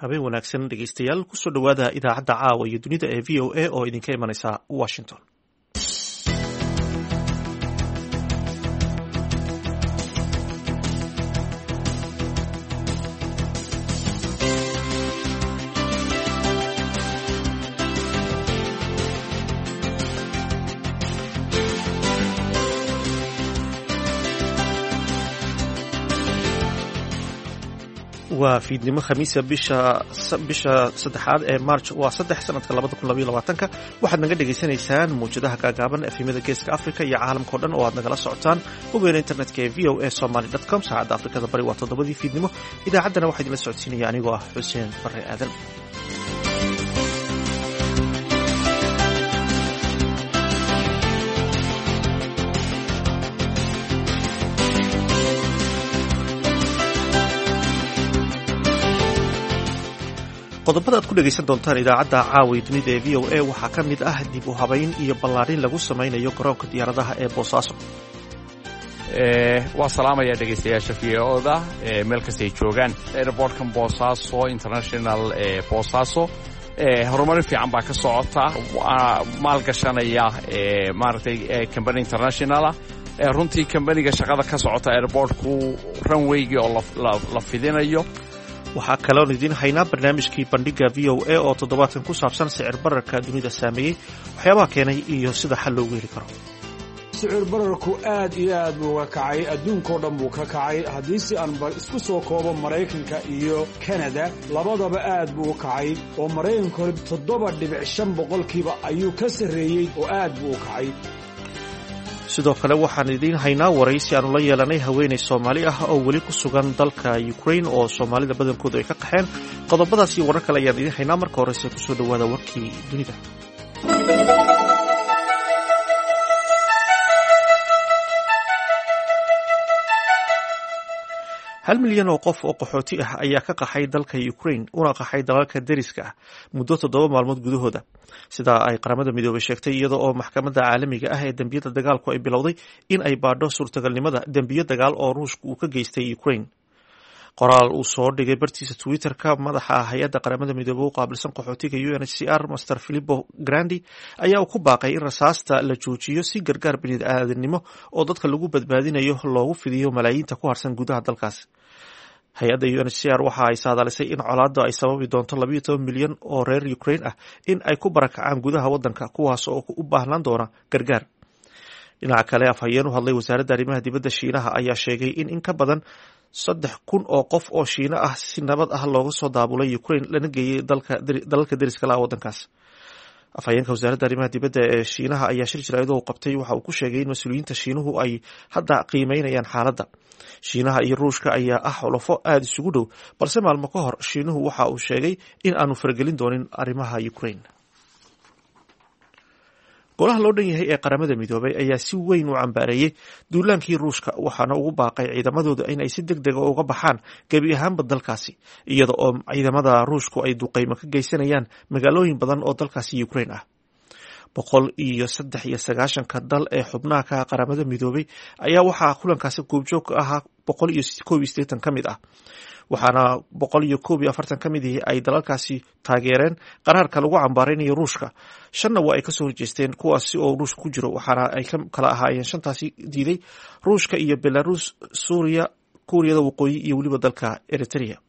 Habeen wanaagsan dhegeystayaal, kusoo dhowaada idaacadda caawa iyo dunida ee VOA oo idinka imanaysa Washington. Waa fiidnimo Khamiisa, bisha saddexaad ee March waa 3, sanadka 2022-ka. Waxaad naga dhegaysanaysaan mawjadaha gaagaaban, efemyada Geeska Africa iyo caalamka o dhan oo aad nagala socotaan boggeena internetka ee voasomali.com. Saacadda Afrikada Bari waa 7-dii fiidnimo. Idaacaddana waxaa idinla socodsiinaya anigoo ah Xuseen Barre Aadan. Qodobada aad ku dhegaysan doontaan idaacadda caawa dunida ee VOA waxaa ka mid ah dib u habayn iyo ballaarin lagu samaynayo garoonka diyaaradaha ee Boosaaso. Waa salaamaya dhegaystayaasha VOA-da meel kastay joogaan. Airportkan Boosaaso International Boosaaso horumarin fiican baa ka socota, maalgashanaya maaragtay company internationala. Runtii companyga shaqada ka socota airportku, runwaygii oo la fidinayo. Waxaa kaloon idiin haynaa barnaamijkii Bandhiga VOA oo toddobaadkan ku saabsan sicir bararka dunida saameeyey, waxyaabaha keenay iyo sida xal loogu heli karo. Sicir bararku aad iyo aad buu uga kacay, adduunkao dhan buu ka kacay. Haddii si aan isku soo koobo, Maraykanka iyo Kanada labadaba aad buu u kacay, oo Maraykanka hore 7.5% ayuu ka sarreeyey, oo aad buu u kacay. Sidoo kale waxaan idiin haynaa waraysi aanu la yeelanay haweeney Soomaali ah oo weli ku sugan dalka Ukraine oo Soomaalida badankoodu ay ka qaxeen. Qodobadaas iyo warar kale ayaan idiin haynaa. Marka horese kusoo dhowaada warkii dunida. 1 milyan oo qof oo qaxooti ah ayaa ka qaxay dalka Ukraine una qaxay dalalka deriska ah muddo 7 maalmood gudahooda, sidaa ay Qaramada Midoobay sheegtay, iyada oo Maxkamadda Caalamiga ah ee Dembiyada Dagaalku ay bilowday in ay baadho suurtagalnimada dembiyo dagaal oo Ruushka uu ka geystay Ukraine. Qoraal uu soo dhigay bartiisa Twitter-ka, madaxa hay-adda Qaramada Midoobey u qaabilsan qaxootiga UNHCR, Master Filippo Grandi, ayaa uu ku baaqay in rasaasta la joojiyo si gargaar bini'aadanimo oo dadka lagu badbaadinayo loogu fidiyo malaayiinta ku harsan gudaha dalkaas. Hay-adda UNHCR waxa ay saadaalisay in colaadda ay sababi doonto 12 milyan oo reer Ukraine ah in ay ku barakacaan gudaha waddanka, kuwaas oo u baahnaan doona gargaar. Dhinaca kale, afhayeen u hadlay wasaaradda arrimaha dibadda Shiinaha ayaa sheegay in in ka badan 3000 oo qof oo Shiino ah si nabad ah looga soo daabulay Ukraine lana geeyey dalalka deriska la waddankaas. Afhayeenka wasaaradda arrimaha dibadda ee Shiinaha ayaa shir jaraa'id uu qabtay waxa uu ku sheegay in mas-uuliyiinta Shiinuhu ay hadda qiimeynayaan xaaladda. Shiinaha iyo Ruushka ayaa ah xulafo aada isugu dhow, balse maalmo ka hor Shiinuhu waxa uu sheegay in aanu faragelin doonin arrimaha Ukraine. Golaha loo dhan yahay ee Qaramada Midoobay ayaa si weyn u cambaareeyey duulaankii Ruushka, waxaana ugu baaqay ciidamadooda in ay si deg dega uga baxaan gebi ahaanba dalkaasi, iyada oo ciidamada Ruushku ay duqeymo ka geysanayaan magaalooyin badan oo dalkaasi Ukraine ah. 193-ka dal ee xubnaha ka Qaramada Midoobay ayaa waxaa kulankaasi goobjoog ka ahaa 181 ka mid ah, waxaana 141 ka mid ihi ay dalalkaasi taageereen qaraarka lagu cambaareynayo Ruushka, shanna waa ay kasoo horjeesteen, kuwaasi oo Ruushka ku jiro. Waxaana ay ka kala ahaayeen shantaasi diiday Ruushka iyo Belarus, Suuriya, Kuuriyada Waqooyi iyo weliba dalka Eritrea.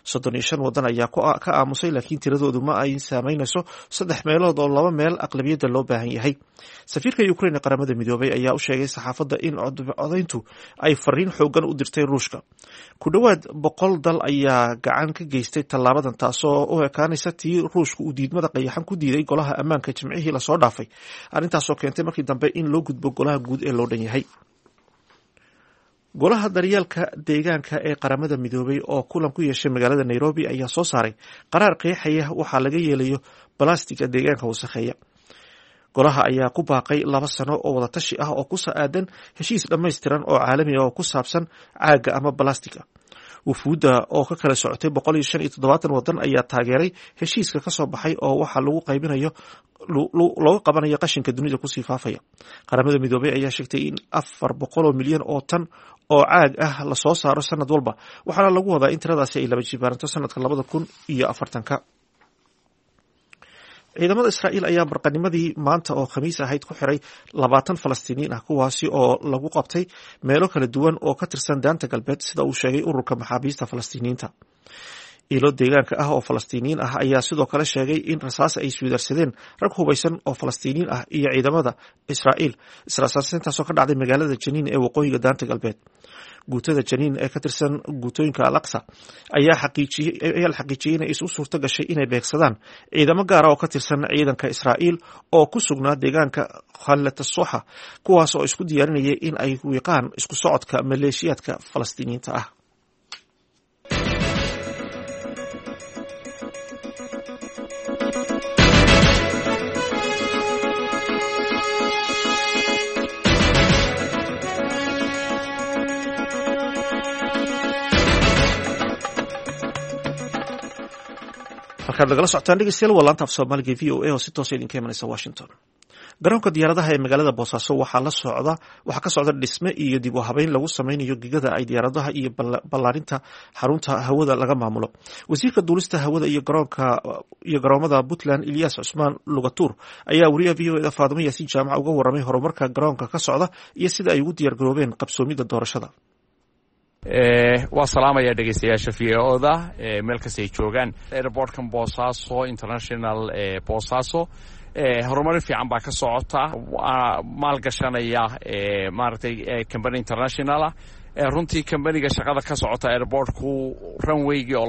35 wadan ayaa ka aamusay, laakiin tiradoodu ma ay saameynayso saddex meelood oo laba meel aqlabiyadda loo baahan yahay. Safiirka Ukraine ee Qaramada Midoobay ayaa u sheegay saxaafadda in codayntu ay fariin xoogan u dirtay Ruushka. Ku dhowaad 100 dal ayaa gacan ka geystay tallaabadan, taasoo u ekaanaysa tii Ruushka uu diidmada qayaxan ku diiday Golaha Ammaanka Jimcihii lasoo dhaafay, arrintaasoo keentay markii dambe in loo gudbo Golaha Guud ee loo dhan yahay. Golaha Daryeelka Deegaanka ee Qaramada Midoobay oo kulan ku yeeshay magaalada Nairobi ayaa soo saaray qaraar qeexaya waxaa laga yeelayo balastiga deegaanka wasakheeya. Golaha ayaa ku baaqay 2 sano oo wadatashi ah oo ku aadan heshiis dhammaystiran oo caalami ah oo ku saabsan caagga ama balastiga. Wufuudda oo ka kala socotay 175 wadan ayaa taageeray heshiiska ka soo baxay oo waxaa lagu qaybinayo looga qabanayo qashinka dunida kusii faafaya. Qaramada Midoobay ayaa sheegtay in 400 milyan oo tan oo caag ah lasoo saaro sanad walba, waxaana lagu wadaa in tiradaasi ay laba jibaaranto sanadka 2040-ka. Ciidamada Israa'iil ayaa barqanimadii maanta oo Khamiis ahayd ku xiray 20 Falastiiniyiin ah, kuwaasi oo lagu qabtay meelo kala duwan oo ka tirsan Daanta Galbeed, sida uu sheegay ururka maxaabiista Falastiiniyiinta. Ilo deegaanka ah oo Falastiiniyiin ah ayaa sidoo kale sheegay in rasaas ay isweydaarsadeen rag hubaysan oo Falastiiniyiin ah iyo ciidamada Israa'iil, israasaasintaasoo ka dhacday magaalada Janiin ee waqooyiga Daanta Galbeed. Guutada Janiin ee ka tirsan guutooyinka Al Aqsa ayaa la xaqiijiyey inay isu suurto gashay inay beegsadaan ciidamo gaara oo ka tirsan ciidanka Israa'iil oo ku sugnaa deegaanka Khalatasoxa, kuwaas oo isku diyaarinayay in ay wiiqaan isku socodka maleeshiyaadka Falastiiniyiinta ah. Halkaad nagala socotaan, dhegeystayaal, waa laanta af Soomaaliga VOA oo si toosa idinka imanaysa Washington. Garoonka diyaaradaha ee magaalada Boosaaso waxaa la socda waxaa ka socda dhisme iyo dib u habeyn lagu sameynayo gegada ay diyaaradaha iyo ballaarinta xarunta hawada laga maamulo. Wasiirka duulista hawada iyo garoonka iyo garoomada Puntland, Ilyas Cusmaan Lugatuur, ayaa wariyaha VOA da Faadimo Yaasiin Jaamac uga waramay horumarka garoonka ka socda iyo sida ay ugu diyaar garoobeen qabsoomidda doorashada. Waa salaamaya dhegeystayaasha VOA-da meel kasta ay joogaan. Airportkan Boosaaso International Boosaaso horumarin fiican baa ka socota, maalgashanaya maaragtay company internationalah. Runtii companiga shaqada ka socota airportku, runwaygii oo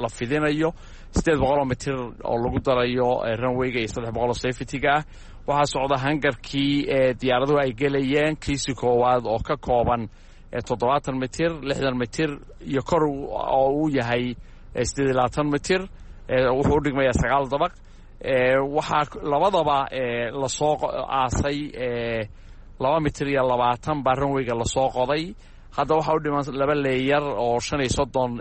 la fidinayo 800 mitir oo lagu darayo runwayga iyo 300 oo safety-ga ah. Waxaa socda hangarkii diyaaraduhu ay gelayeen, kiisi koowaad oo ka kooban 70 mitir, 60 mitir iyo kor oo uu yahay 28 mitir, wuxuu u dhigmayaa 9 dabaq. Waxaa labadaba lasoo aasay 2 mitir iyo 20 baa runwayga lasoo qoday. Hadda waxaa u dhiman laba layer oo 35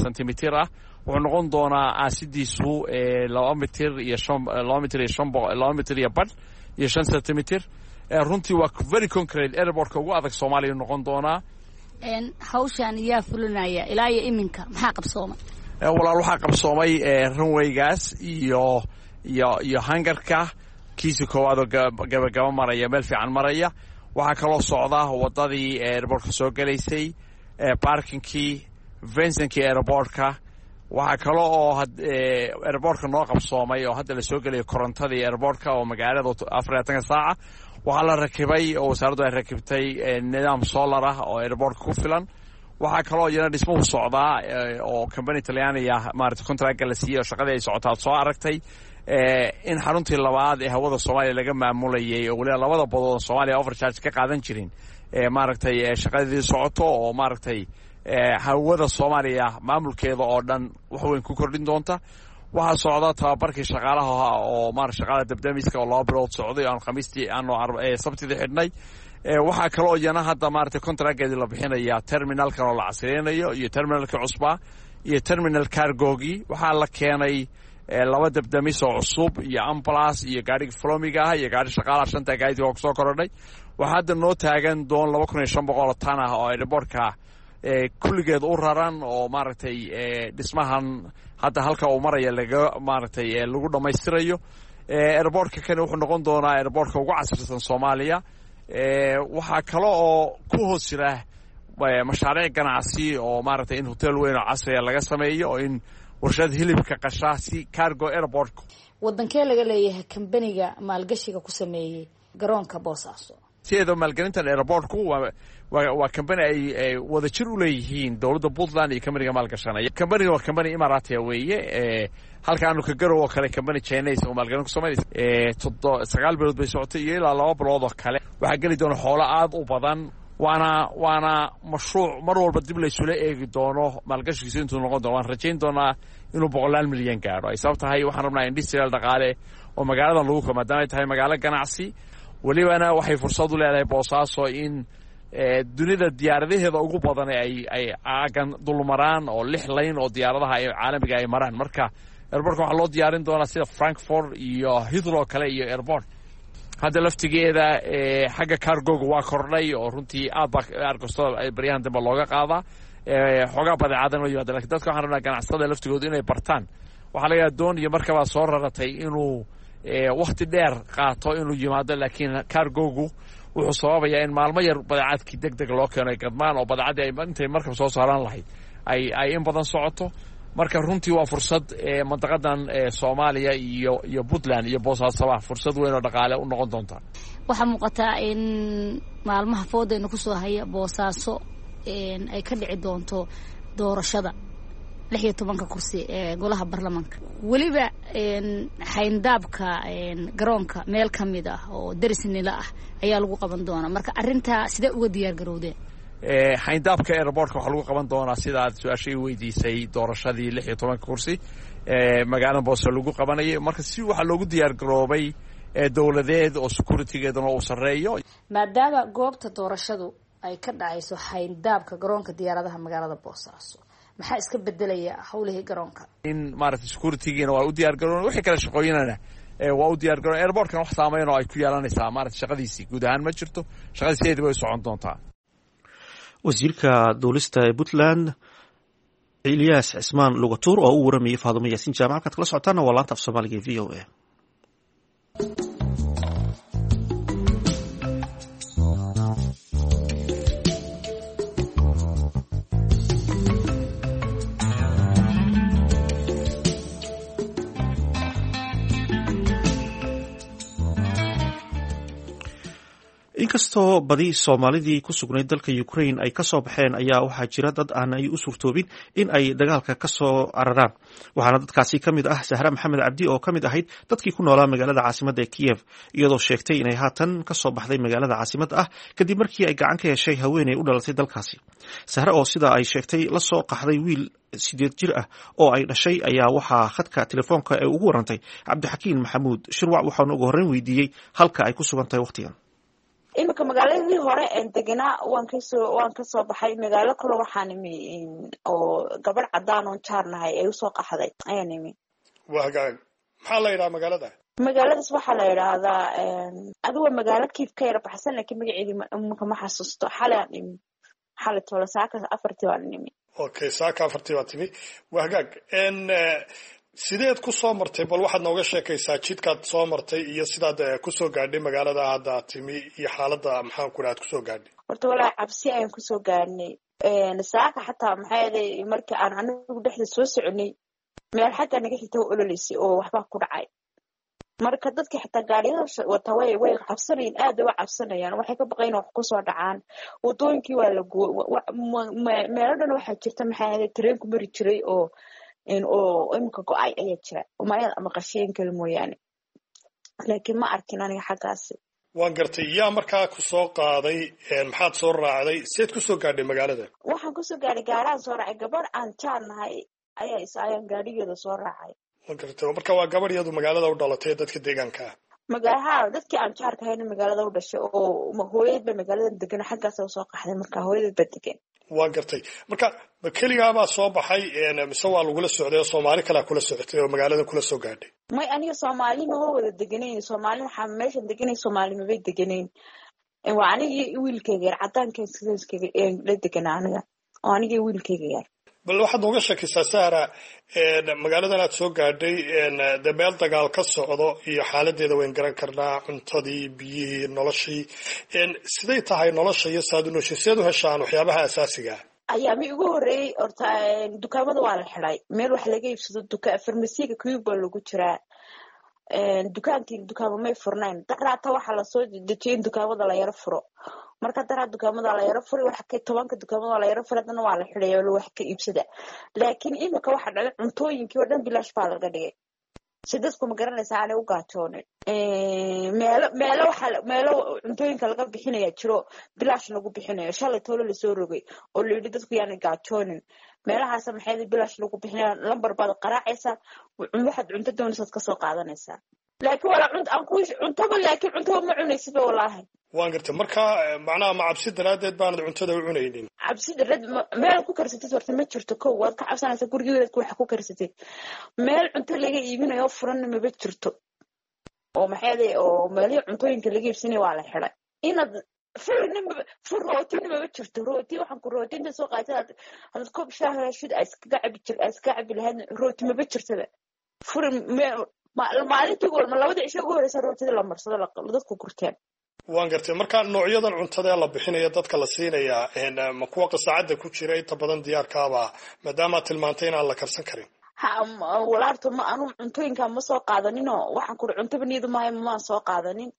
centimeter ah. Wuxuu noqon doonaa aasidiisu 2 mitir iyo shan, 2 mitir iyo shan, 2 mitir iyo badh iyo 5 centimeter. Runtii waa very concrete, airportka ugu adag Soomaaliya noqon doonaa. Hawshan yaa fulinaya? Ilaa iyo iminka maxaa qabsoomay? Walaal, waxaa qabsoomay runwaygaas iyo hangarka kiisi koowaad oo gabagaba maraya, meel fiican maraya. Waxaa kaloo socda wadadii airportka soo gelaysay, parkingkii, fencingkii airportka. Waxaa kale oo airportka noo qabsoomay oo hadda lasoo gelayo korontadii airportka oo magaalada 24-ka saaca. Waxaa la rakibay oo wasaaraddu ay rakibtay nidaam solar ah oo airportka ku filan. Waxaa kaloo iyana dhismuhu socdaa oo company Talyaaniga maarata contractka la siiyey oo shaqadii ay socotaa soo aragtay in xaruntii labaad ee hawada Soomaaliya laga maamulayay, oo weliba labada badood Soomaaliya overcharge ka qaadan jirin, maaragtay shaqadii socoto oo maaragtay hawada Soomaaliya maamulkeeda oo dhan wax weyn ku kordhin doonta. Waxaa socda tababarkii shaqaalaha oo maarata shaqaalaha dabdamiska oo 2 bilood socday oo aan Khamiistii aanu Sabtidii xidhnay. Waxaa kaloo iyana hadda maaragtay contractgeedii la bixinaya terminalkan oo la casriyeynayo iyo terminalkii cusbaa iyo terminal cargogii. Waxaa la keenay laba dabdamis oo cusub iyo ambulance iyo gaadhigi flomiga ah iyo gaadhi shaqaalaha. Shanta gaadidka oo kusoo korodhay. Waxaa hadda noo taagan doon 2500 tan ah oo airportka kulligeed u raran oo maaragtay dhismahan hadda halka uu maraya laga maaragtay lagu dhammaystirayo. Airportka kani wuxuu noqon doonaa airportka ugu casrisan Soomaaliya. Waxaa kale oo ku hoos jira mashaariic ganacsi oo maaragtay in hotel weyn oo casriya laga sameeyo oo in warshad hilibka qashaa si cargo airport. Wadankee laga leeyahay kambaniga maalgashiga ku sameeyey garoonka Boosaaso? Sideeda maalgelintan airportku waa company ay wada jir u leeyihiin dowladda Puntland iyo companiga maalgashanaya. Companiga waa company Imaratia weeye, halka aanu ka garow oo kale company Chinese oo maalgelin ku samaynaysa. 9 bilood bay socotay iyo ilaa 2 bilood oo kale. Waxaa geli doona xoolo aad u badan, waana mashruuc mar walba dib laysula eegi doono maalgashigiisu intuu noqon doono. Waan rajayn doonaa inuu boqolaal milyan gaadho. Ay sabab tahay, waxaan rabnaa industrial dhaqaale oo magaaladan lagu ko, maadaama ay tahay magaalo ganacsi. Welibana waxay fursad u leedahay Boosaaso in Dunida diyaaradaheeda ugu badan ay aagan dulmaraan oo 6 layn oo diyaaradaha caalamiga ay maraan. Marka airportka waxaa loo diyaarin doonaa sida Frankfort iyo Heathrow kale iyo airport. Hadda laftigeeda xagga cargoga waa kordhay oo runtii aad baa argostada baryahan dambe looga qaadaa, xoogaa badeecadan oo yimaada. Lakin dadka waxaan rabnaa ganacsatada laftigooda inay bartaan. Waxaa laga yaaba doon iyo markabaa soo raratay inuu wakhti dheer qaato inuu yimaado, laakiin cargogu wuxuu sababayaa in maalmo yar badeecadkii deg deg loo keeno, ay gadmaan oo badeecaddii ay intay markab soo saaran lahayd ay in badan socoto. Marka runtii waa fursad mandaqadan Soomaaliya iyo Puntland iyo Boosaasoba fursad weyn oo dhaqaale u noqon doonta. Waxaa muuqataa in maalmaha foodayna kusoo haya Boosaaso ay ka dhici doonto doorashada 16-ka kursi ee golaha baarlamaanka, weliba xayndaabka garoonka meel ka mid ah oo deris nila ah ayaa lagu qaban doonaa. Marka arrintaa sidee uga diyaar garowdeen? Xayndaabka airportka waxaa lagu qaban doonaa, sidaad su-aasha i weydiisay, doorashadii 16-ka kursi magaalada Boose lagu qabanayay. Marka si waxaa loogu diyaar garoobay dowladeed oo securitygeeduna uu sarreeyo. Maadaama goobta doorashadu ay ka dhacayso xayndaabka garoonka diyaaradaha magaalada Boosaaso, maxaa iska bedelaya howlihii garoonka? In maaragtay securitygiina waa u diyaar garoon, wixii kale shaqooyinana waa u diyaar garoon. Airportkana wax saameyn oo ay ku yeelanaysaa maaragtay shaqadiisii guud ahaan ma jirto, shaqadiiseedi way socon doontaa. Wasiirka duulista ee Puntland Ilyaas Cismaan Lugatuur oo u waramayay Faadumo Yaasiin Jaamac. Halkaad kala socotaana waa laanta af Soomaaliga ee VOA. Inkastoo badi Soomaalidii ku sugnayd dalka Ukraine ay kasoo baxeen, ayaa waxaa jira dad aan ay u suurtoobin in ay dagaalka kasoo cararaan. Waxaana dadkaasi ka mid ah Sahra Maxamed Cabdi oo ka mid ahayd dadkii ku noolaa magaalada caasimadda ee Kiyev, iyadoo sheegtay inay haatan kasoo baxday magaalada caasimadda ah kadib markii ay gacan ka heshay haweeney u dhalatay dalkaasi. Sahre oo sida ay sheegtay la soo qaxday wiil 8 jir ah oo ay dhashay ayaa waxaa khadka telefoonka ee ugu warantay Cabdixakiin Maxamuud Shirwac, waxaana ugu horreyn weydiiyey halka ay ku sugan tahay waqtigan. Iminka magaaladii hore een deganaa waan kasoo baxay. Magaalo kale waxaan imi oo gabadh cadaan oon jaarnahay ay usoo qaxday ayaan imi. Waa hagaag. Maxaa la yidhaha magaalada? Magaaladaas waxaa la yidhaahdaa, adigu waa magaalo Kiif ka yara baxsan, laakiin magaceedii iminka ma xasuusto. Xalay aan imi, xalay toole, saaka 4-tii baan imi. Okay, saaka 4-tii baa timi. Waa hagaag. Sideed ku soo martay? Bal waxaad nooga sheekaysaa jidkaad soo martay iyo sidaad kusoo gaadhay magaalada hadda aad timi iyo xaaladda, maxaan ku dhaha, aad kusoo gaadhay. Horta walaa cabsi ayaan kusoo gaadhnay saaka. Xataa maxaa yeelay markii aan anigu dhexda soo soconay, meel xagga naga xigta waa ololeysay oo waxbaa ku dhacay. Marka dadka xitaa gaadhiyada wata way cabsanayeen, aad bay u cabsanayaan, waxay ka baqayn wax kusoo dhacaan. Wadooyinkii waa la meelo dhan waxaa jirta, maxaa yeelay tareenku mari jiray oo imika go-ay ayaa jira umayad ama qasheen kale mooyaane, laakiin ma arkin aniga xaggaasi. Waan gartay. Yaa markaa ku soo qaaday? Maxaad soo raacday? Seed kusoo gaadhay magaalada? Waxaan kusoo gaadhay gaaraan soo raacay. Gabadh aan jaar nahay ayaa is ayaan gaadhigeeda soo raacay. Waan gartay. Marka waa gabadh iyadu magaalada u dhalatay, dadka deegaanka ah? Magaha dadkii aan jaarka hayna magaalada u dhashay oo hooyadeed ba magaalada degan, xaggaasa usoo qaxday. Marka hooyadeed ba degan. Waan gartay. Marka ma keligaabaa soo baxay mise waa lagula socday oo Soomaali kalea kula socotay oo magaalada kula soo gaadhay? May, aniga Soomaali maba wada deganayn. Soomaali waxaa meeshan deganayn, Soomaali mabay deganayn. Waa anigii wiilkayga yar, cadaanka la deganaa aniga oo anigii wiilkayga yar. Bal waxaad nooga sheekaysaa, Sahra, magaaladan aad soo gaadhay dee meel dagaal ka socdo iyo xaaladeeda wayn garan karnaa, cuntadii, biyihii, noloshii. Siday tahay nolosha iyo saad u nooshay? Sideed u heshaan waxyaabaha asaasiga ah? Ayaami ugu horreeyey horta dukaamada waa la xiday, meel wax laga iibsado duka farmasiga kuyub baa lagu jiraa. Dukaankii dukaamo may furnayn. Daraata waxaa lasoo dejiyay in dukaamada la yaro furo. Marka daraa dukaamada la yaro furay, wax ka tobanka dukaamada la yaro furay, haddana waa la xidhay oo wax ka iibsada. Laakiin imika waxa dhalay cuntooyinkii oo dhan bilaash baa laga dhigay si dadku, ma garanaysaa, aanay u gaajoonin. Meelo waxaa meelo cuntooyinka laga bixinaya jiro, bilaash lagu bixinayo, shalay toolo lasoo rogay oo la yidhi dadku yaanay gaajoonin. Meelahaas maxay bilaash lagu bixinaya, lambar baad qaraacaysaa, waxaad cunto doonaysaad kasoo qaadanaysaa. Laakiin walaa aan ku cuntaba, laakiin cuntaba ma cunaysidba walaahi. Waan gartay. Marka macnaha ma cabsi daraaddeed baanad cuntada u cunaynin? Cabsi daraad, meel ku karsatid horta ma jirto. Kow, waad ka cabsanaysaa gurigeedaad wax ku karsatid. Meel cunto laga iibinayo furanna maba jirto, oo maxay oo meelihii cuntooyinka laga iibsanaya waa la xiday. Inaad fur rootina maba jirto. Rooti waxaan ku rooti inta soo qaatay hadaad koob shaah heshid aa iskaga cabi jir, aa iskaga cabi lahayd, rooti maba jirtaba. Fur maalintii ugu labada cisho ugu horeysa rootida la marsado dadku gurteen. Waan gartay. Marka noocyadan cuntada ee la bixinaya dadka la siinayaa ma kuwa qasaacadda ku jira inta badan diyaarkaaba, maadaamaad tilmaantay inaan la karsan karin? Ha walaarto, ma anu cuntooyinka ma soo qaadaninoo waxaan kuri cuntaba niyadu maayo, maan soo qaadanin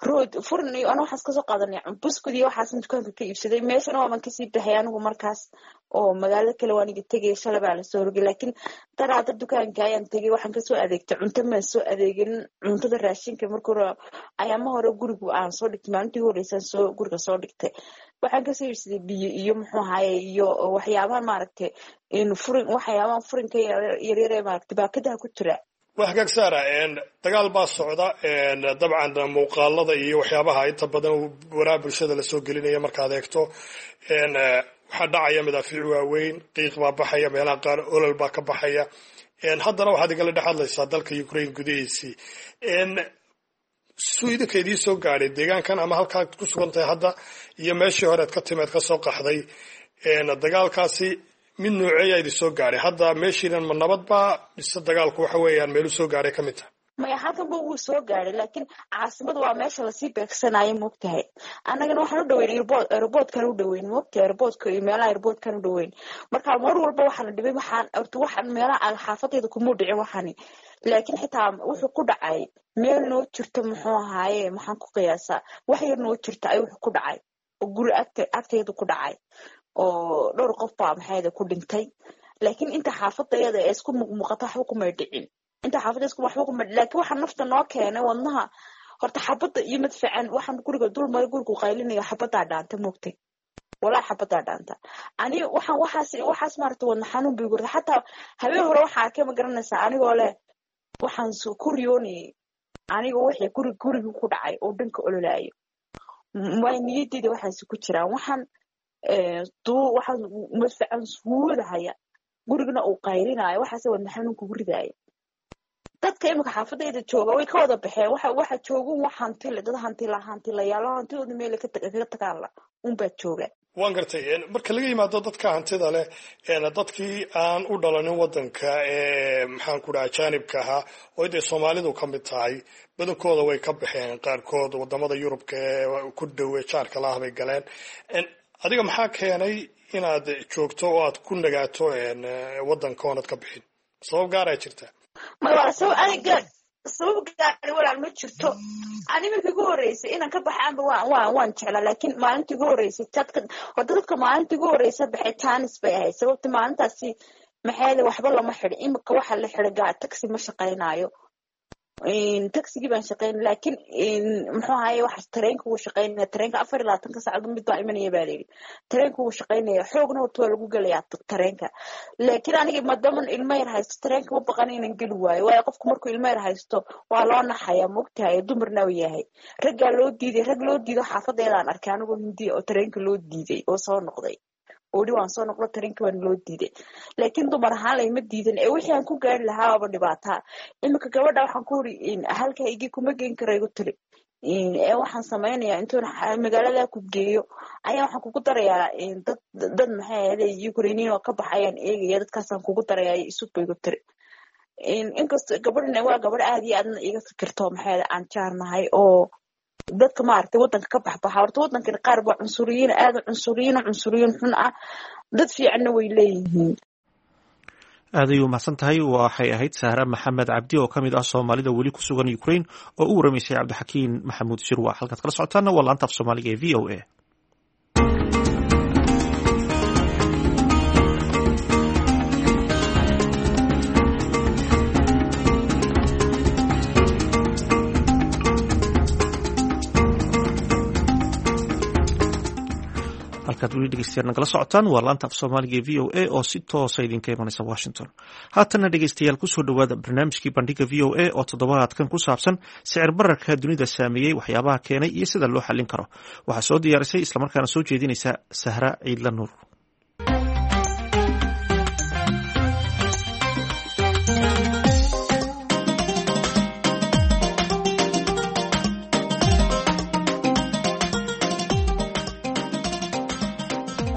rood furin iyo anu waxaas kasoo qaadanay buskud iyo waxaasan dukaanka ka iibsaday. Meeshana waaban kasii baxay anigu markaas oo magaalada kale waan iga tegay, shalay baa lasoo rogay. Laakiin daraada dukaanka ayaan tegay, waxaan kasoo adeegtay cunto. Maan soo adeegin cuntada raashinka marka hore, ayaama hore gurigu aan soo dhigtay, maalintii ugu horeysaan soo guriga soo dhigtay. Waxaan kasoo iibsaday biyo iyo muxuu ahaye iyo waxyaabahan maaragtay furin, waxyaabahan furinka yaryar ee maaragtay baakadaha ku jira. Waa hagaag Saara, dagaal baa socda dabcan. Muuqaalada iyo waxyaabaha inta badan waraha bulshada lasoo gelinaya markaad eegto, waxaa dhacaya madaafiic waaweyn, qiiq baa baxaya, meelaha qaar olol baa ka baxaya. Haddana waxaad igala dhex hadlaysaa dalka Ukraine gudihiisii. Suu idinka idiin soo gaadhay deegaankan ama halkaad ku sugan tahay hadda iyo meeshii horead ka timeed ka soo qaxday, dagaalkaasi mid nooceeyaa idin soo gaadhay hadda? Meeshiinan ma nabad baa mise dagaalku waxa weeyaan meelu soo gaadhay ka mid tahay? Maya, halkan ba wuu soo gaadhay, laakiin caasimada waa meesha lasii beegsanayo, moogtahay. Annagana waxaan u dhaweyn airportkan u dhaweyn, moogtahay, airportka iyo meelaha airportkan u dhaweyn. Marka mar walba waxaana dhibay waxaan horta waxaan meelaha xaafadayda kumuu dhicin waxani, laakiin xitaa wuxuu ku dhacay meel noo jirto, muxuu ahaaye, maxaan ku qiyaasaa, wax yar noo jirta ayuu wuxuu ku dhacay oo guri agtayda ku dhacay oo dhowr qof baa maxayda ku dhintay. Laakiin inta xaafadayada ee isku muuqmuuqata waxba kumay dhicin, inta xaafadda isku waxba kuma. Laakiin waxaa nafta noo keenay wadnaha horta xabadda iyo madfacan waxaan guriga dul maray, gurigu qaylinayo, xabaddaa dhaanta, moogtay, walaa xabaddaa dhaanta. Ani waxaan waxaas maaragta wadna xanuun bay gurta. Xataa habeen hore waxaa arkay, ma garanaysaa, anigoo leh waxaan ku riyoonayay anigoo wixii gurigii ku dhacay oo dhanka ololaayo. Waa niyadeyda waxaasi ku jiraan, waxaan waxaan madfacan suudahaya, gurigana uu qaylinaayo, waxaase wadna xanuun kugu ridaaya. Dadka imika xaafadayda jooga way ka wada baxeen. Waxa joogun wax hantile, dad hantila hantilayaalo hantidooda meel kaga tagaanla unbaa jooga. Waan gartay. Marka laga yimaado dadka hantida leh, dadkii aan u dhalanin waddanka ee maxaan ku dhaha ajaanibka ahaa oo dee soomaalidu ka mid tahay, badankooda way ka baxeen. Qaarkood wadamada Yurubka ee ku dhowe jaarka laah bay galeen. Adiga maxaa keenay inaad joogto oo aad ku nagaato waddanka oonad ka bixin? Sabab gaaraa jirta? Maya, sabab aniga sabab gaari walaal ma jirto. Ani markii ugu horreysay inaan ka baxaanba waan jeclaa, laakiin maalintii ugu horreysay dadka horta dadka maalintii ugu horreysa baxay tanis bay ahayd. Sababta maalintaasi maxay waxba lama xidhin. Imika waxa la xidhay gaa taxi ma shaqaynayo, taxigii baan shaqaynay, laakiin muxuu ahaye waxa tareenka wuu shaqaynaya. Tareenka 24-ka saacadood mid baa imanaya baa layidhi. Tareenka wuu shaqaynaya, xoogna horta waa lagu gelayaa tareenka. Laakiin aniga maadaama ilmo yar haysto, tareenka ma baqan inaan geli waayo, waayo qofku markuu ilmo yar haysto waa loo naxayaa, moogtahay, dumarna uu yahay. Raggaa loo diiday, rag loo diido xaafadeedaan arkay anigoo Hindiya oo tareenka loo diiday oo soo noqday oodhi waan soo noqdo, tareenkii waan loo diiday. Laakiin dumar ahaan layma diidan ee wixii aan ku gaari lahaa waaba dhibaataa. Iminka gabadha waxaan ku uri halkaa igi kuma geen karo, igu tiri ee waxaan samaynayaa intuun magaalada ku geeyo ayaa waxaan kugu darayaa dad maxay ahayde Ukrainian oo ka baxayaan eegaya, dadkaasaan kugu darayaa isug ba igu tiri. Inkastoo gabadhan waa gabadh aad iyo aadna iga fikirto, maxay aan jaarnahay oo dadka maaragtay waddanka ka baxbaxa. Horta waddankan qaar baa cunsuriyiin, aad cunsuriyiin, cunsuriyiin xun ah, dad fiicanna way leeyihiin. Aad ayuu mahadsan tahay. Waxay ahayd Sahra Maxamed Cabdi oo ka mid ah Soomaalida weli ku sugan Ukraine oo u waramaysay Cabdixakiin Maxamuud Shirwa. Halkaad kala socotaana waa laanta af Soomaaliga ee VOA. Halkaad weli Dhegeystayaal nagala socotaan waa laanta af Soomaaliga ee VOA oo si toosa idinka imanaysa Washington. Haatanna dhegeystayaal, kusoo dhowaada barnaamijkii Bandhiga VOA oo toddobaadkan ku saabsan sicir bararka dunida saameeyey, waxyaabaha keenay iyo sida loo xallin karo. Waxaa soo diyaarisay islamarkaana soo jeedinaysa Sahra Ciidla Nuur.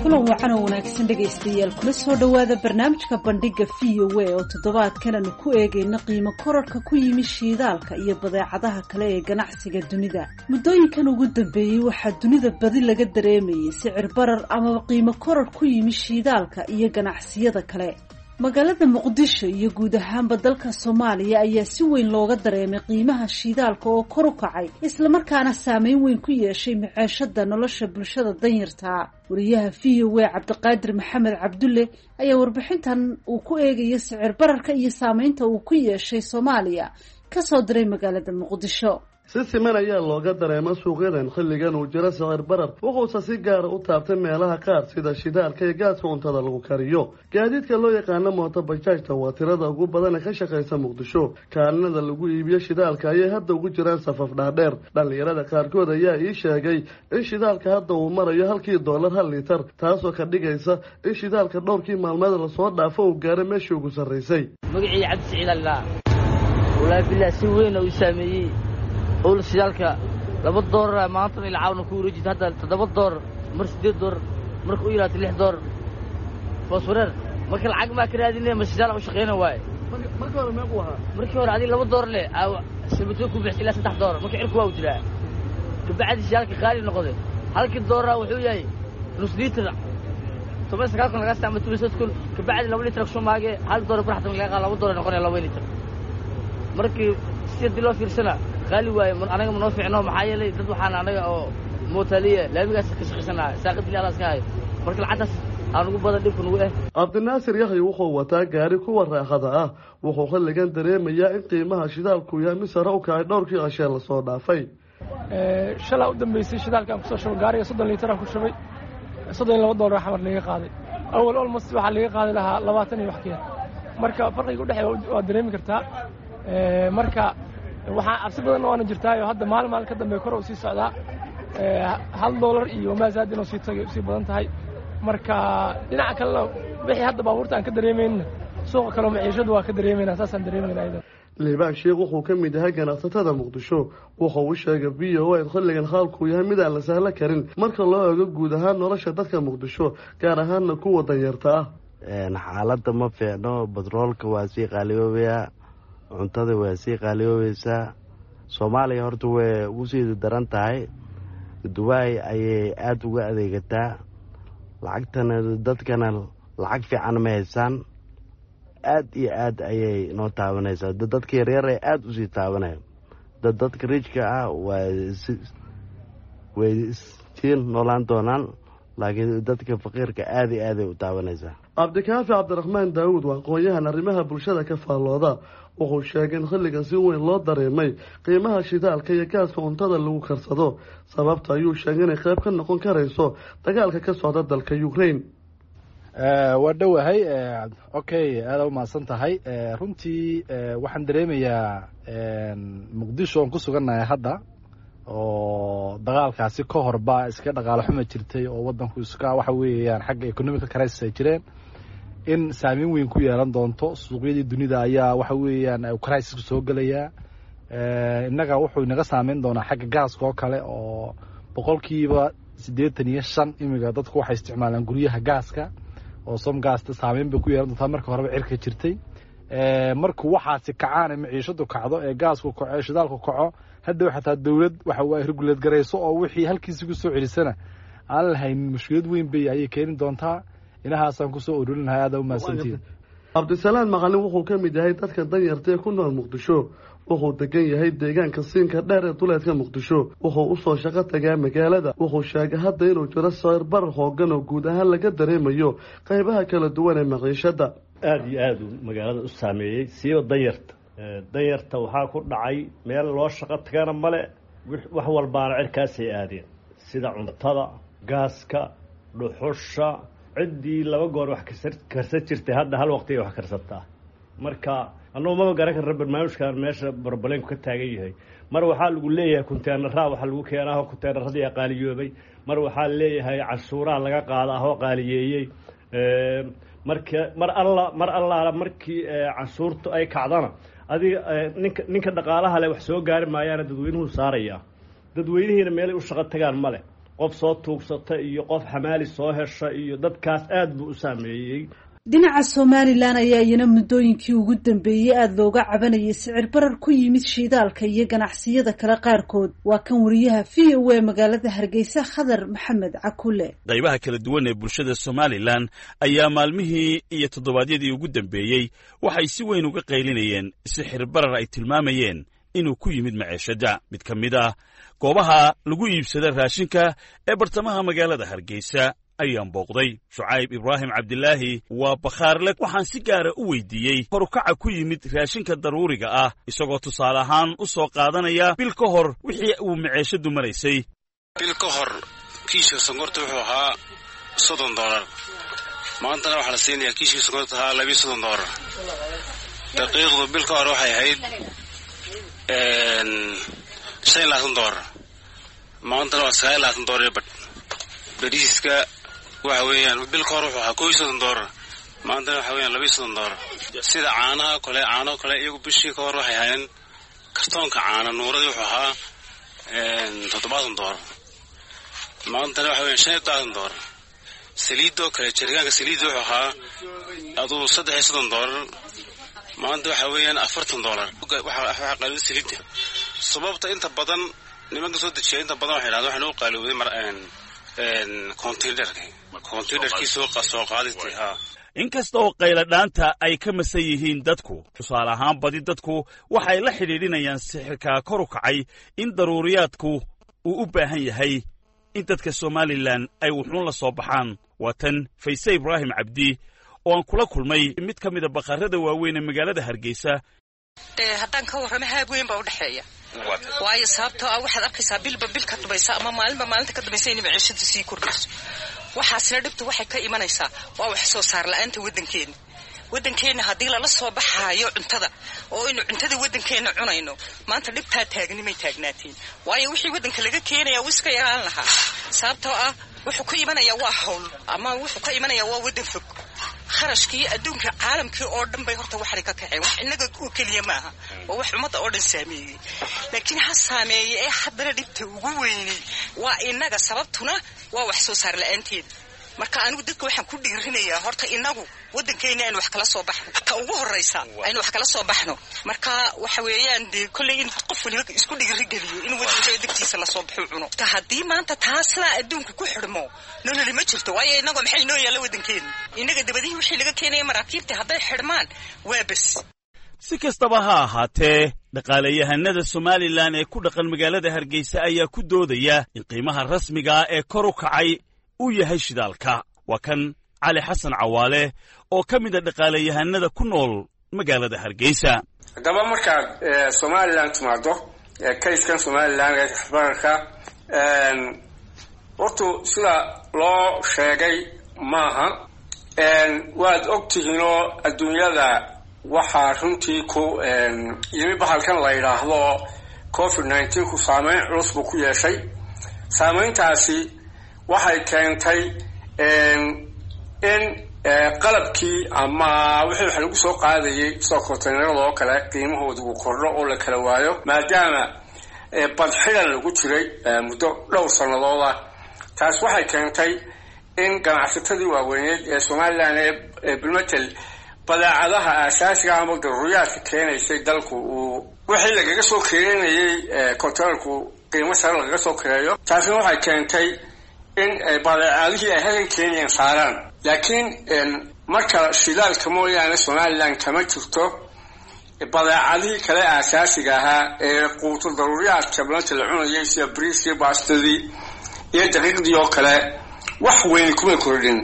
Kulan wacan oo wanaagsan dhegaystayaal, kula soo dhowaada barnaamijka Bandhiga VOA oo toddobaadkan aanu ku eegayno qiimo korarka ku yimi shiidaalka iyo badeecadaha kale ee ganacsiga dunida. Muddooyinkan ugu dambeeyey waxaa dunida badi laga dareemayay sicir barar amaba qiimo korar ku yimi shiidaalka iyo ganacsiyada kale. Magaalada Muqdisho iyo guud ahaanba dalka Soomaaliya ayaa si weyn looga dareemay qiimaha shiidaalka oo kor u kacay, islamarkaana saameyn weyn ku yeeshay maceeshada nolosha bulshada danyartaa. Wariyaha VOA Cabdiqaadir Maxamed Cabdulle ayaa warbixintan uu ku eegayo sicir bararka iyo saameynta uu ku yeeshay Soomaaliya kasoo diray magaalada Muqdisho. Si siman ayaa looga dareema suuqyadan xilligan uu jiro sicir barar, wuxuuse si gaara u taabtay meelaha qaar sida shidaalka iyo gaaska cuntada lagu kariyo. Gaadiidka loo yaqaano mooto bajaajta waa tirada ugu badan ee ka shaqaysa Muqdisho. Kaalinada lagu iibiyo shidaalka ayay hadda ugu jiraan safaf dhaadheer. Dhallinyarada qaarkood ayaa ii sheegay in shidaalka hadda uu marayo halkii doolar 1 liitar, taasoo ka dhigaysa in shidaalka dhowrkii maalmeed lasoo dhaafo uu gaaray meeshii ugu sarraysay. Magacii Cabdi Siciid allaa. Wallaahi bilah, si weyn uu saameeyey owl shidaalka. 2 doolar maanta ilcaawna ku wareejita, hadda 7 doolar, mar 8 doolar, marka u yidhahto 6 doolar fooswareer. Marka lacag maa ka raadine, ma shidaal u shaqeyna waaye. Marka hore meequu ahaa? Markii hore adiga 2 doolar leh sabatoo ku bixis ilaa 3 doolar. Marka cirku waa u jiraa, kabacdi shidaalka qaali noqday. Halkii doolara wuxuu yahay nus liitar, 19,000 lagaa staa ama 18,000. Kabacdi 2 liitar kushumaage 1 doolar baraxtan lagaa qaada, 2 doolar noqonaya 2 liitar. Markii si haddii loo fiirsana qaali waaye. Anaga ma noo fiicno, maxaa yeelay dad waxaan anaga oo mootaaliya laamigaas ka shaqaysanaa, saaqadili alla iska hayo. Marka lacagtaas aan ugu badan dhibka nugu eh. Cabdinaasir Yaxya wuxuu wataa gaari kuwa raaxada ah. Wuxuu xilligan dareemayaa in qiimaha shidaalku yahay mid sare u kacay dhowrkii cashee lasoo dhaafay. Shalaa u dambeysay shidaalkaan kusoo shubay gaariga, 30 liitaraan ku shubay, $32 xamar laga qaaday. Awal almost waxaa laga qaadi lahaa 20 iyo wax ka yar. Marka farqiga udhexeeya waa dareemi kartaa. Marka waxaa cabsi badan waana jirtaayo hadda maalin maalin ka dambe kor uu sii socdaa, $1 iyo maasaad inuu sii tagay sii badan tahay. Marka dhinaca kalena wixii hadda baabuurta aan ka dareemayna, suuqa kaleo maciishadu waa ka dareemayna, saasaan dareemayna ayada. Liibaan Sheekh wuxuu ka mid yahay ganacsatada Muqdisho. Wuxuu u sheegay VOA in xilligan xaalkuu yahay mid aan la sahlo karin marka loo eego guud ahaan nolosha dadka Muqdisho, gaar ahaanna kuwa danyarta ah. Xaaladda ma fiicno, batroolka waa sii qaaliyoobayaa, cuntada waa sii qaaliyoobaysaa. Soomaaliya horta way ugu sii daran tahay, Dubaay ayay aada uga adeegataa lacagtana, dadkana lacag fiican ma haysaan. Aad iyo aad ayay noo taabanaysaa, dadka yaryar ee aada usii taabanaya. Dadka rijka ah way sii noolaan doonaan, laakiin dadka faqiirka aada iyo aaday u taabanaysaa. Cabdikaafi Cabdiraxmaan Daawuud waa aqoon-yahan arrimaha bulshada ka faallooda. Wuxuu sheegay in xilligan si weyn loo dareemay qiimaha shidaalka iyo gaaska cuntada lagu karsado. Sababta ayuu sheegay inay qayb ka noqon karayso dagaalka ka socda dalka Ukraine. Waa dhowahay. Okay, aada umahadsan tahay. Runtii waxaan dareemayaa Muqdisho oon ku sugannahay hadda oo dagaalkaasi ka horba iska dhaqaalo xuma jirtay oo waddanku iska waxa weeyaan xagga economical crisis ay jireen, in saameyn weyn ku yeelan doonto. Suuqyadii dunida ayaa waxa weeyaan crisisku soo gelayaa. Innaga wuxuu inaga saameyn doonaa xagga gaaska oo kale, oo 85% imiga dadku waxay isticmaalaan guryaha gaaska oo somgaasta. Saameyn bay ku yeelan doontaa. Marka horeba cirka jirtay, markuu waxaasi kacaan, maciishadu kacdo, ee gaasku kaco, ee shidaalku kaco, hadhow xataa dowlad waxa waa regulate garayso oo wixii halkiisi ku soo celisana aan lahaynin, mushkilad weyn bay ayay keeni doontaa. Inahaasaan kusoo ururinahay. Aada umahadsantihin. Cabdisalaan Macalin wuxuu ka mid yahay dadka danyarta ee ku nool Muqdisho. Wuxuu degan yahay deegaanka Siinka Dheer ee duleedka Muqdisho. Wuxuu usoo shaqo tagaa magaalada. Wuxuu sheegay hadda inuu jiro sicir barar xoogan oo guud ahaan laga dareemayo qaybaha kala duwan ee maciishada. Aada iyo aada uu magaalada u saameeyey, siiba danyarta. Danyarta waxaa ku dhacay meel loo shaqo tagana male, wax walbaana cirkaasay aadeen, sida cuntada, gaaska. Dhuxusha ciddii laba goor wax karsan jirtay hadda hal waqti ay wax karsataa. Marka annagu maba garan karna barnaamijkan meesha barbaleenku ka taagan yahay. Mar waxaa lagu leeyahay kunteenaraa waxaa lagu keenaa, kunteenaradii qaaliyoobay. Mar waxaa leeyahay cashuuraha laga qaada ahoo qaaliyeeyey. Marka mar alla mar allaala markii canshuurtu ay kacdana, adiga ninka dhaqaalaha le wax soo gaari maayaana dadweynuhu saaraya. Dadweynihiina meelay u shaqo tagaan ma leh. Qof soo tuugsata iyo qof xamaali soo hesha iyo dadkaas aad buu u saameeyey. Dhinaca Somalilan ayaa iyana muddooyinkii ugu dambeeyey aada looga cabanayay sicir barar ku yimid shiidaalka iyo ganacsiyada kale qaarkood. Waa kan wariyaha VOA magaalada Hargeysa, Khadar Maxamed Cakule. Qaybaha kala duwan ee bulshada Somalilan ayaa maalmihii iyo toddobaadyadii ugu dambeeyey waxay si weyn uga qaylinayeen sixir barar ay tilmaamayeen inuu ku yimid maceeshadda. Mid ka mid ah goobaha lagu iibsada raashinka ee bartamaha magaalada Hargeysa ayaan booqday. Shucayb Ibraahim Cabdilaahi waa bakhaarle. Waxaan si gaara u weydiiyey korukaca ku yimid raashinka daruuriga ah, isagoo tusaale ahaan u soo qaadanaya bil ka hor wixii uu maceeshadu maraysay. Bil ka hor kiishka sonkorta wuxuu ahaa $30. Maantana waxaa la siinayaa kiishka sonkorta ahaa $32. Daqiiqdu bil ka hor waxay ahayd $25, maantana waa $29 iyo badh. Bariiska waxa weeyaan bil ka hor wuxuu ahaa $31, maantana waxa weeyaan $32. Sida caanaha kale, caano kale iyagu bishii ka hor waxay ahaayeen kartoonka caana nuuradii wuxuu ahaa $70, maantana waxa weeyaan $75. Saliidoo kale, jargaanka saliidda wuxuu ahaa aduu $33, maanta waxa weeyaan $40. Waxaa qaalowday saliidda. Sababta inta badan nimanka soo dejiya inta badan waxay yidhahdaan waxaa noo qaalowday mar containerkii soo qaaditay haa. Inkasta oo qayladhaanta ay ka masan yihiin dadku, tusaale ahaan badi dadku waxay la xidhiidhinayaan sixirka kor u kacay in daruuriyaadku uu u baahan yahay in dadka Somalilan ay wuxuun la soo baxaan. Waa tan Fayse Ibraahim Cabdi oo aan kula kulmay mid ka mida bakhaarada waaweyn ee magaalada Hargeysa. Dee haddaan ka warramo, haab weyn baa udhexeeya, waayo sababtoo ah waxaad arkaysaa bilba bil ka dubaysa ama maalinba maalinta ka dubaysa inay maciishadu sii kordhayso. Waxaasina dhibtu waxay ka imanaysaa waa wax soo saar la-aanta waddankeena. Waddankeenna haddii lala soo baxaayo cuntada oo aynu cuntada waddankeenna cunayno, maanta dhibtaa taagnimay taagnaatiin, waayo wixii waddanka laga keenaya wuu iska yaraan lahaa, sababtoo ah wuxuu ka imanayaa waa hawl ama wuxuu ka imanayaa waa waddan fog. Kharashkii adduunka caalamkii oo dhan bay horta waxay ka kaceen. Wax innaga oo keliya maaha, waa wax ummadda oo dhan saameeyey, laakiin ha saameeyey ee haddana dhibta ugu weynay waa innaga, sababtuna waa wax soo saar la-aanteeda. Marka anigu dadka waxaan ku dhiirinayaa horta inagu waddankeena aynu wax kala soo baxno, ta ugu horraysa aynu wax kala soo baxno. Marka waxa weeyaan dee kolley in qof waliba isku dhiirigeliyo in waddanka degtiisa lasoo baxo cuno. Ta haddii maanta taaslaa adduunka ku xidhmo, nololi ma jirto, waayo inagoo maxay inoo yaalla waddankeena? Innaga dabadihii wixii laga keenaya maraakiibta hadday xidhmaan, waa bes. Si kastaba ha ahaatee, dhaqaalayahanada Somalilan ee ku dhaqan magaalada Hargeysa ayaa ku doodaya in qiimaha rasmigaa ee kor u kacay uu yahay shidaalka. Waa kan Cali Xasan Cawaale oo ka mid a dhaqaalayahanada ku nool magaalada Hargeysa. Haddaba markaad Somalilan timaado, kayskan Somalilan bararka hortu sida loo sheegay maaha. Waad og tihiinoo adduunyada waxaa runtii ku yimi bahalkan la yidhaahdo COVID-19 ku saameyn culus buu ku yeeshay. Saameyntaasi waxay keentay in qalabkii ama wixii wax lagu soo qaadayay sida konteynerada oo kale qiimahooda uu kordho oo la kala waayo, maadaama badxidan lagu jiray muddo dhowr sannadood ah. Taas waxay keentay in ganacsatadii waaweyneed ee Somalilan ee bilmatel badeecadaha aasaasiga ama daruuriyaadka keenaysay dalku uu wixii lagaga soo keenayay konteynerku qiimo sare lagaga soo kireeyo. Taasina waxay keentay in badeecadihii ay halkan keenayeen saaraan. Laakiin marka shidaalka mooyaane Somalilan kama jirto badeecadihii kale aasaasiga ahaa ee quuto daruuriyaadka maanta la cunayay, sida briiskii, baastadii iyo daqiiqdii oo kale, wax weyn kuma kordhin.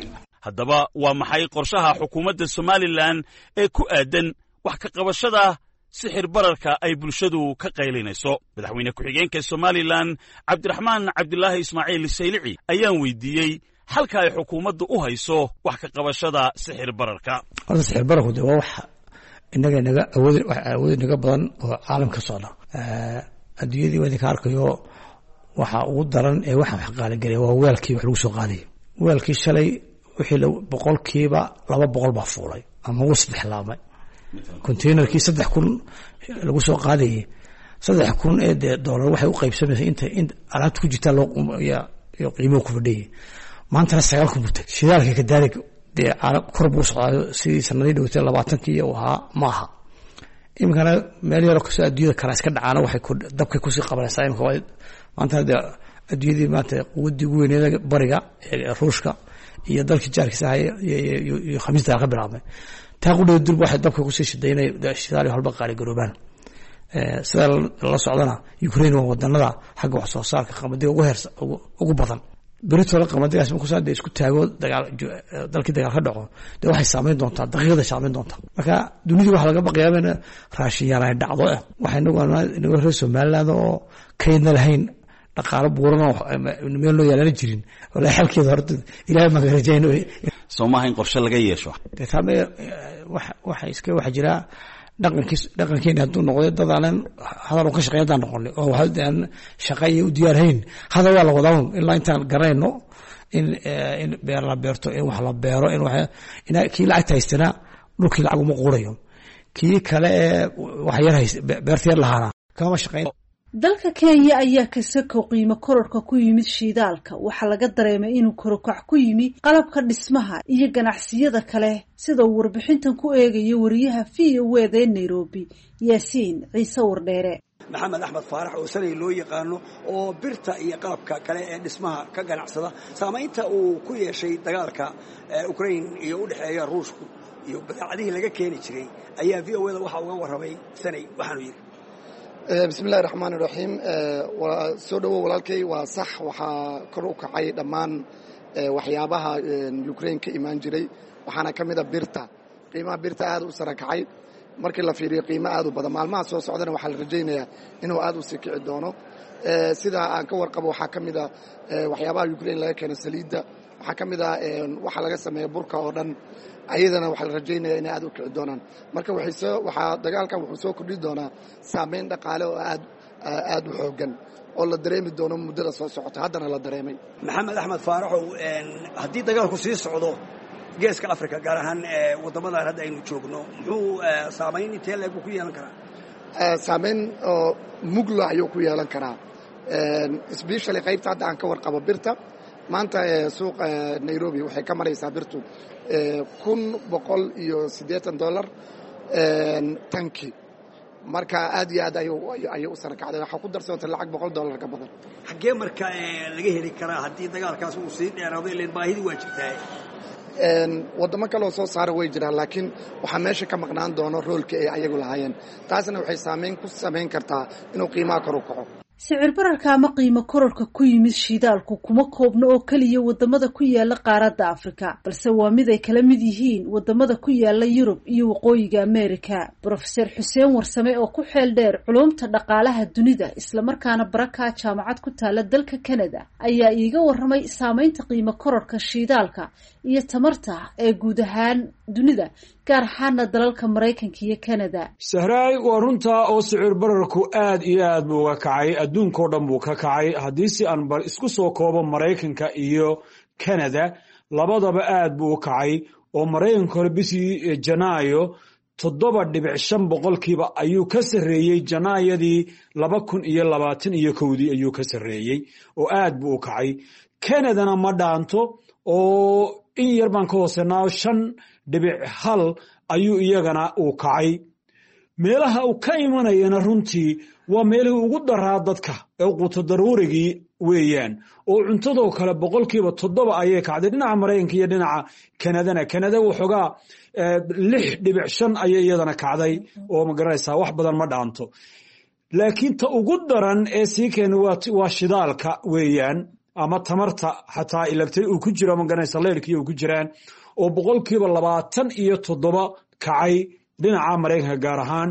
Haddaba waa maxay qorshaha xukuumadda Somalilan ee ku aadan wax ka qabashada sixir bararka ay bulshadu ka qaylinayso? Madaxweyne ku-xigeenka Somalilan, Cabdiraxmaan Cabdilaahi Ismaaciil Saylici, ayaan weydiiyey Xalka ay xukuumaddu u hayso wax ka qabashada sixir bararka. Horta sixir bararku de waa wax inaga naga awood, wax awood inaga badan oo caalam ka socda. Adduunyadii waa idinka arkayo. Waxa ugu daran ee waxa wax qaaligelaya waa weelkii wax lagu soo qaadayay. Weelkii shalay wixii 200% baa fuulay ama ugu saddex laabmay. Containerkii 3000 lagu soo qaadayay, 3000 ee dee doolar waxay u qaybsamaysay inta in alaabta ku jirtaa loo iyo qiimuhu ku fadhiyay. Maantana 9000 buu tagay. Shidaalka kadaalik dee kor buu socdaayo, sidii sanadii dhowtay 20kii uu ahaa maaha. Iminkana meel yaroo kasoo adduunyada kala iska dhacaana waxay dabkay kusii qabanaysaa. Imika waa maantana dee adduunyadii maanta quwaddii ugu weyneeda bariga ee Ruushka iyo dalkii jaarkiisa ahay iyo Khamiis dagaal ka bilaabmay. Taa qudheeda durba waxay dabka kusii shidaynay shidaal iyo halba qaali garoobaan. Sida la socdana, Ukraine waa wadanada xagga wax soo saarka qamadiga ugu heersa ugu badan. Beritoole qamadigaas markuu saa dee isku taago dagaal, dalkii dagaal ka dhaco, dee waxay saameyn doontaa daqiiqada, saameyn doontaa. Marka dunidii waxaa laga baqayaa in raashin yar ay dhacdo. Waxay inagu reer Somaliland oo kaydna lahayn, dhaqaalo buuran oo meel loo yaalana jirin. Walaa xalkeeda horta Ilaahay baan ka rajayno. Soo maaha in qorshe laga yeesho? Dee taame waxa iska waxa jira dhaqankiis, dhaqankeeni hadduu noqday dad aanan hadal un ka shaqeyn haddaan noqonay oo waxa aan shaqa iyo u diyaarhayn, hadal waa la wadaa ilaa intaan garanayno in beer la beerto, in wax la beero, in wax in kii lacagta haystana dhulkii lacag uma quurayo, kii kale ee wax yar hayst beerta yar lahaana kama shaqeyn. Dalka Kenya ayaa kasakow qiimo kororka ku yimid shiidaalka waxaa laga dareemay inuu korokac ku yimi qalabka dhismaha iyo ganacsiyada kale, sida uu warbixintan ku eegayo wariyaha VOA da ee Nairobi, Yaasiin Ciise Wardheere. Maxamed Axmed Faarax oo Sanay loo yaqaano, oo birta iyo qalabka kale ee dhismaha ka ganacsada, saamaynta uu ku yeeshay dagaalka Ukraine iyo u dhexeeya Ruushku iyo badeecadihii laga keeni jiray ayaa VOA da waxa uga warramay. Sanay waxaanu yidhi: Bismi illahi raxmaan iraxiim. Waa soo dhowow walaalkay. Waa sax, waxaa kor u kacay dhammaan waxyaabaha Ukraine ka imaan jiray, waxaana ka mid a birta. Qiimaha birta aad u sara kacay markii la fiiriyo, qiimo aad u badan. Maalmaha soo socdana waxaa la rajaynayaa inuu aad u sii kici doono. Sida aan ka warqabo, waxaa ka mid a waxyaabaha Ukraine laga keeno saliidda, waxaa ka mid ah waxa laga sameeya burka oo dhan. Ayadana waxaa la rajaynaya inay aad u kici doonaan. Marka waxaa dagaalkan wuxuu soo kordhi doonaa saameyn dhaqaale oo aad aad u xooggan oo la dareemi doono muddada soo socota, haddana la dareemay. Maxamed Axmed Faaraxow, haddii dagaalku sii socdo Geeska Africa, gaar ahaan waddamadan hadda aynu joogno, muxuu saamayn intee leeg ku yeelan karaa? Saameyn oo mugla ayuu ku yeelan karaa, especially qaybta hadda aan ka warqabo birta. Maanta suuqa Nairobi waxay ka maraysaa birtu $1,180 tanki. Marka aad iyo aad ayay u sara kacday. Waxaa ku darsantay lacag $100 ka badan. Xaggee marka laga heli karaa haddii dagaalkaas uu sii dheeraado? Ileen baahidii waa jirtaa. Waddamo kaleoo soo saara way jiraan, laakiin waxaa meesha ka maqnaan doono roolka ay ayagu lahaayeen. Taasna waxay saameyn ku samayn kartaa inuu qiimaha kor u kaco. Sicir bararka ama qiimo kororka ku yimid shiidaalku kuma koobna oo keliya wadamada ku yaala qaaradda Afrika, balse waa mid ay kala mid yihiin wadamada ku yaala Yurub iyo Waqooyiga Amerika. Brofeser Xuseen Warsame oo ku xeel dheer culumta dhaqaalaha dunida, islamarkaana barakaa jaamacad ku taala dalka Canada, ayaa iiga warramay saameynta qiimo kororka shiidaalka iyo tamarta ee guud ahaan dunida, gaar ahaana dalalka Maraykanka iyo Canada. Sahraay, waa runtaa oo sicir bararku aad iyo aad buu uga kacay, adduunkao dhan buu ka kacay. Haddii si aan bal isku soo koobo, Maraykanka iyo Canada labadaba aad buu u kacay, oo Maraykanka hore bishii Janaayo 7.5% ayuu ka sarreeyey Janaayadii 2021-dii ayuu ka sarreeyey, oo aad buu u kacay. Canadana ma dhaanto, oo in yar baan ka hoosenaa, 5.1 ayuu iyagana uu kacay. Meelaha uu ka imanayana runtii waa meelihii ugu daraa dadka ee quuto daruurigii weeyaan, oo cuntadoo kale 7% ayay kacday dhinaca Maraykanka iyo dhinaca Kanadana. Kanada waxoogaa 6.5 ayay iyadana kacday, oo ma garanaysaa, wax badan ma dhaanto. Laakiin ta ugu daran ee sii keena waa shidaalka weeyaan, ama tamarta xataa electric uu ku jiro, ma garanaysaa, leyrkii uu ku jiraan, oo 27% kacay dhinaca Maraykanka gaar ahaan.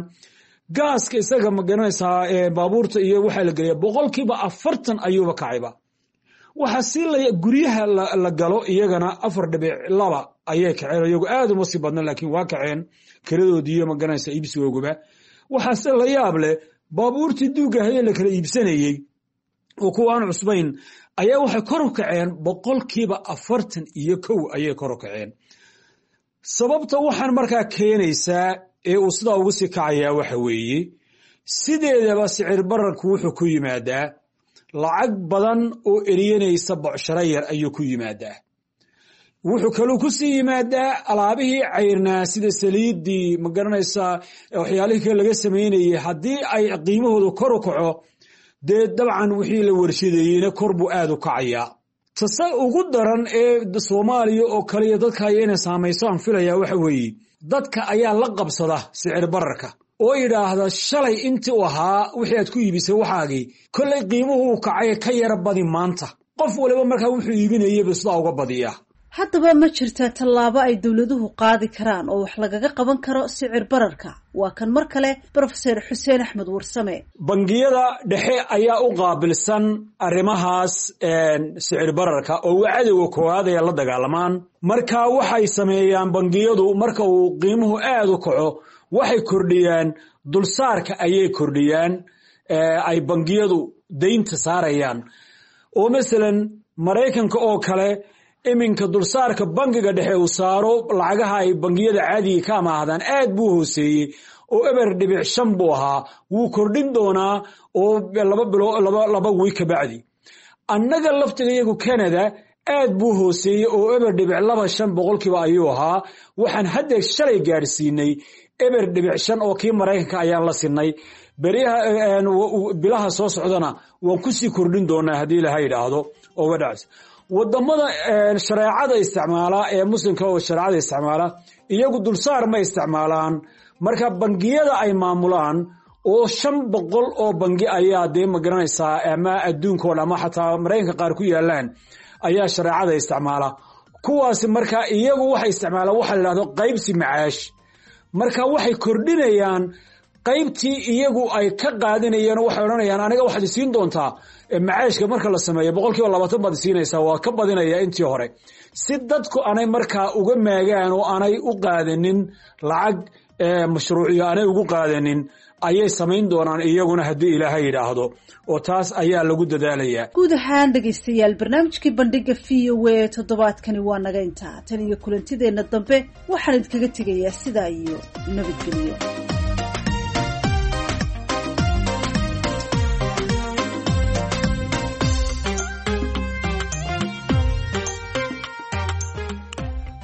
Gaaska isaga, ma garanaysaa, baabuurta iyo waxaa la geliya 40% ayuuba kacayba. Waxaa si guryaha la galo iyagana 4.2 ayay kaceen, iyagu aad uma sii badna, laakiin waa kaceen kiradoodii iyo magaranaysa iibsigooguba. Waxaase la yaab leh baabuurtii duugahaye la kala iibsanayey oo kuwa aan cusbayn ayaa waxay kor u kaceen 41% ayay kor u kaceen. Sababta waxaan markaa keenaysaa ee uu sidaa ugu sii kacayaa waxa weeye, sideedaba sicir bararku wuxuu ku yimaadaa lacag badan oo eriyanaysa bocsharo yar ayuu ku yimaadaa. Wuxuu kaluu ku sii yimaadaa alaabihii cayrnaa sida saliiddii, ma garanaysaa, waxyaalihii kale laga samaynayey, haddii ay qiimahoodu kor u kaco, dee dabcan wixii la warshadeeyeyna kor buu aad u kacayaa. Tase ugu daran ee Soomaaliya oo kaliya dadka aya inay saamayso aan filayaa waxa weeye, dadka ayaa la qabsada sicir bararka oo yidhaahda shalay intii u ahaa wixii aad ku iibisay waxaagii, kollay qiimuhu uu kacay, ka yara badi maanta. Qof waliba markaa wuxuu iibinayaba sidaa uga badiyaa. Haddaba ma jirtaa tallaabo ay dowladuhu qaadi karaan oo wax lagaga qaban karo sicir bararka? Waa kan mar kale Brofeser Xuseen Axmed Warsame. Bangiyada dhexe ayaa u qaabilsan arrimahaas sicir bararka oo waa cadowga koowaad ay la dagaalamaan. Marka waxay sameeyaan bangiyadu, marka uu qiimuhu aad u kaco, waxay kordhiyaan dulsaarka ayay kordhiyaan ay bangiyadu deynta saarayaan. Oo masalan Maraykanka oo kale iminka dulsaarka bangiga dhexe uu saaro lacagaha ay bangiyada caadiga ka amaahdaan aad buu hooseeyey oo 0.5 buu ahaa, wuu kordhin doonaa oo 2 bilo 2 wiig ka bacdi. Annaga laftiga iyagu Canada aad buu hooseeyey oo 0.25% ayuu ahaa. Waxaan hadda shalay gaadhsiinay 0.5 oo kii Maraykanka ayaan la sinay. Beryaha bilaha soo socdana waan kusii kordhin doonaa haddii Ilaha yidhaahdo. Oo wadhacs wadamada shareecada isticmaala ee muslimka oo shareecada isticmaala iyagu dulsaar ma isticmaalaan. Marka bangiyada ay maamulaan oo 500 oo bangi ayaa dee ma garanaysaa ama adduunka oo dhan ama xataa Maraykanka qaar ku yaalaan ayaa shareecada isticmaala. Kuwaasi marka iyagu waxay isticmaalaan waxa la yidhahdo qaybsi macaash. Marka waxay kordhinayaan qaybtii iyagu ay ka qaadanayeen oo waxay odhanayaan, aniga waxaad isiin doontaa macaashka marka la sameeyo 20% baad isiinaysaa, waa ka badinaya intii hore, si dadku aanay markaa uga maagaan oo aanay u qaadanin lacag mashruuciyo aanay ugu qaadanin ayay samayn doonaan iyaguna haddii Ilaahay yidhaahdo, oo taas ayaa lagu dadaalayaa. Guud ahaan dhegaystayaal, barnaamijkii bandhiga VOA toddobaadkani waa naga intaa. Tan iyo kulantideenna dambe waxaan idinkaga tegayaa sidaa iyo nabadgelyo.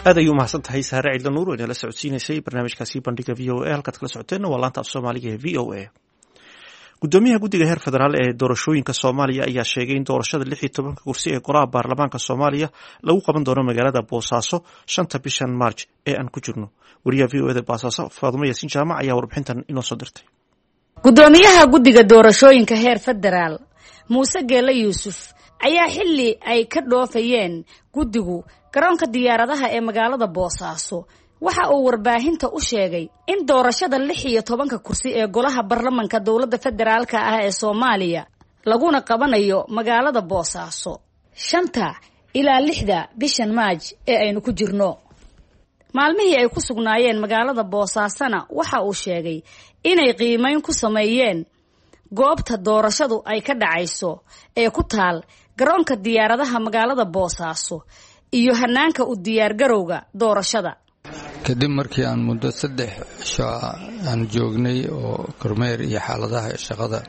Aad ayuu mahadsan tahay Saare Cidla Nuur oo inala socodsiinaysay barnaamijkaasi bandhiga VOA. Halkaad kala socoteenna waa laanta af Soomaaliga ee VOA. Gudoomiyaha guddiga heer federaal ee doorashooyinka Soomaaliya ayaa sheegay in doorashada 16-ka kursi ee golaha baarlamaanka Soomaaliya lagu qaban doono magaalada Boosaaso 5-ta bishan March ee aan ku jirno. Wariyaha VOA da Boosaaso, Faadumo Yaasiin Jaamac, ayaa warbixintan inoo soo dirtay. Gudoomiyaha guddiga doorashooyinka heer federaal, Muuse Geele Yuusuf, ayaa xilli ay ka dhoofayeen guddigu garoonka diyaaradaha ee magaalada Boosaaso waxa uu warbaahinta u sheegay in doorashada 16-ka kursi ee golaha baarlamanka dowladda federaalka ah ee Soomaaliya laguna qabanayo magaalada Boosaaso 5-ta ilaa 6-da bishan Maaj ee aynu ku jirno. Maalmihii ay ku sugnaayeen magaalada Boosaasona waxa uu sheegay inay qiimeyn ku sameeyeen goobta doorashadu ay ka dhacayso ee ku taal garoonka diyaaradaha magaalada Boosaaso iyo hanaanka u diyaargarowga doorashada. Kadib markii aan muddo 3 cisho aan joognay oo kormeer iyo xaaladaha shaqada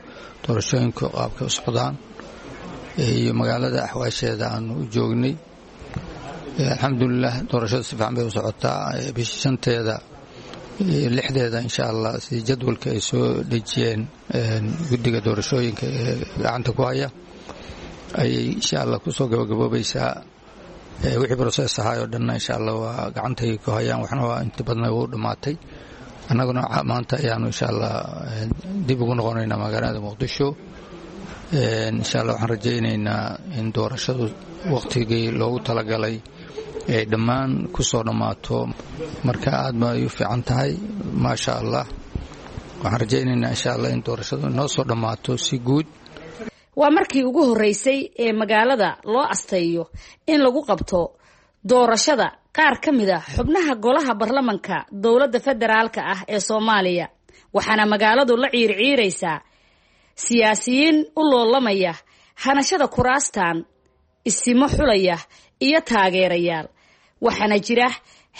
doorashooyinku qaabka u socdaan iyo magaalada axwaasheeda aanu u joognay, alxamdulilah, doorashadu si fiican bay u socotaa. Bisha 5-teeda iyo 6-deeda insha Allah, si jadwalka ay soo dhejiyeen guddiga doorashooyinka ee gacanta ku haya, ayay insha Allah kusoo gabagaboobaysaa. Wixii process ahaay oo dhanna insha Allah waa gacantay ku hayaan, waxna waa inta badna wuu dhammaatay. Annaguna maanta ayaanu insha Allah dib ugu noqonaynaa magaalada Muqdisho. Insha Allah waxaan rajaynaynaa in doorashadu waqtigii loogu talagalay ay dhammaan ku soo dhammaato. Marka aad ba ay u fiican tahay, maasha Allah. Waxaan rajaynaynaa insha Allah in doorashadu inoo soo dhammaato si guud. Waa markii ugu horreysay ee magaalada loo asteeyo in lagu qabto doorashada qaar ka mid a xubnaha golaha baarlamanka dowladda federaalka ah ee Soomaaliya, waxaana magaaladu la ciirciiraysaa siyaasiyiin u loolamaya hanashada kuraastan, isimo xulaya iyo taageerayaal. Waxaana jira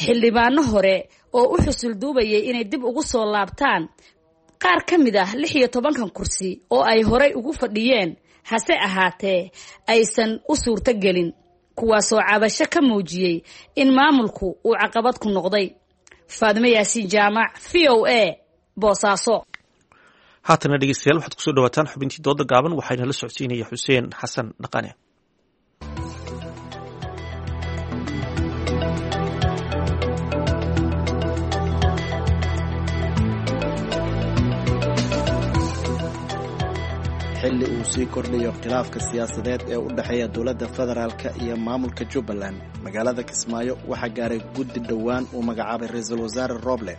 xildhibaano hore oo u xusul duubayay inay dib ugu soo laabtaan qaar ka mid ah 16-kan kursi oo ay horey ugu fadhiyeen, hase ahaatee aysan u suurtogelin, kuwaasoo cabasho ka muujiyey in maamulku uu caqabad ku noqday. Faadimo Yaasiin Jaamac, VOA, Boosaaso. Haatana dhegeystayaal, waxaad kusoo dhawaataan xubintii dooda gaaban. Waxayna la socodsiinaya Xuseen Xasan Dhaqane. Xilli uu sii kordhayo khilaafka siyaasadeed ee u dhexeeya dowladda federaalka iyo maamulka Jubbaland, magaalada Kismaayo waxaa gaaray guddi dhowaan uu magacaabay ra-iisul wasaare Roble.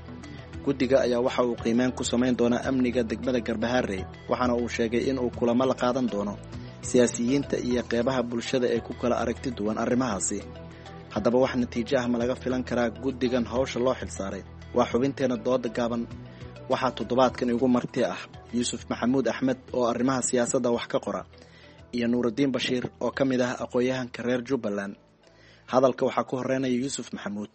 Guddiga ayaa waxa uu qiimeyn ku samayn doonaa amniga degmada Garbaharey, waxaana uu sheegay inuu kulamo la qaadan doono siyaasiyiinta iyo qeybaha bulshada ee ku kala aragti duwan arrimahaasi. Haddaba, wax natiijo ah ma laga filan karaa guddigan hawsha loo xilsaaray? Waa xubinteenna dooda gaaban. Waxaa toddobaadkan igu marti ah Yuusuf Maxamuud Axmed oo arrimaha siyaasadda wax ka qora iyo Nuurudiin Bashiir oo ka mid ah aqoon-yahanka reer Jubbaland. Hadalka waxaa ku horeynaya Yuusuf Maxamuud.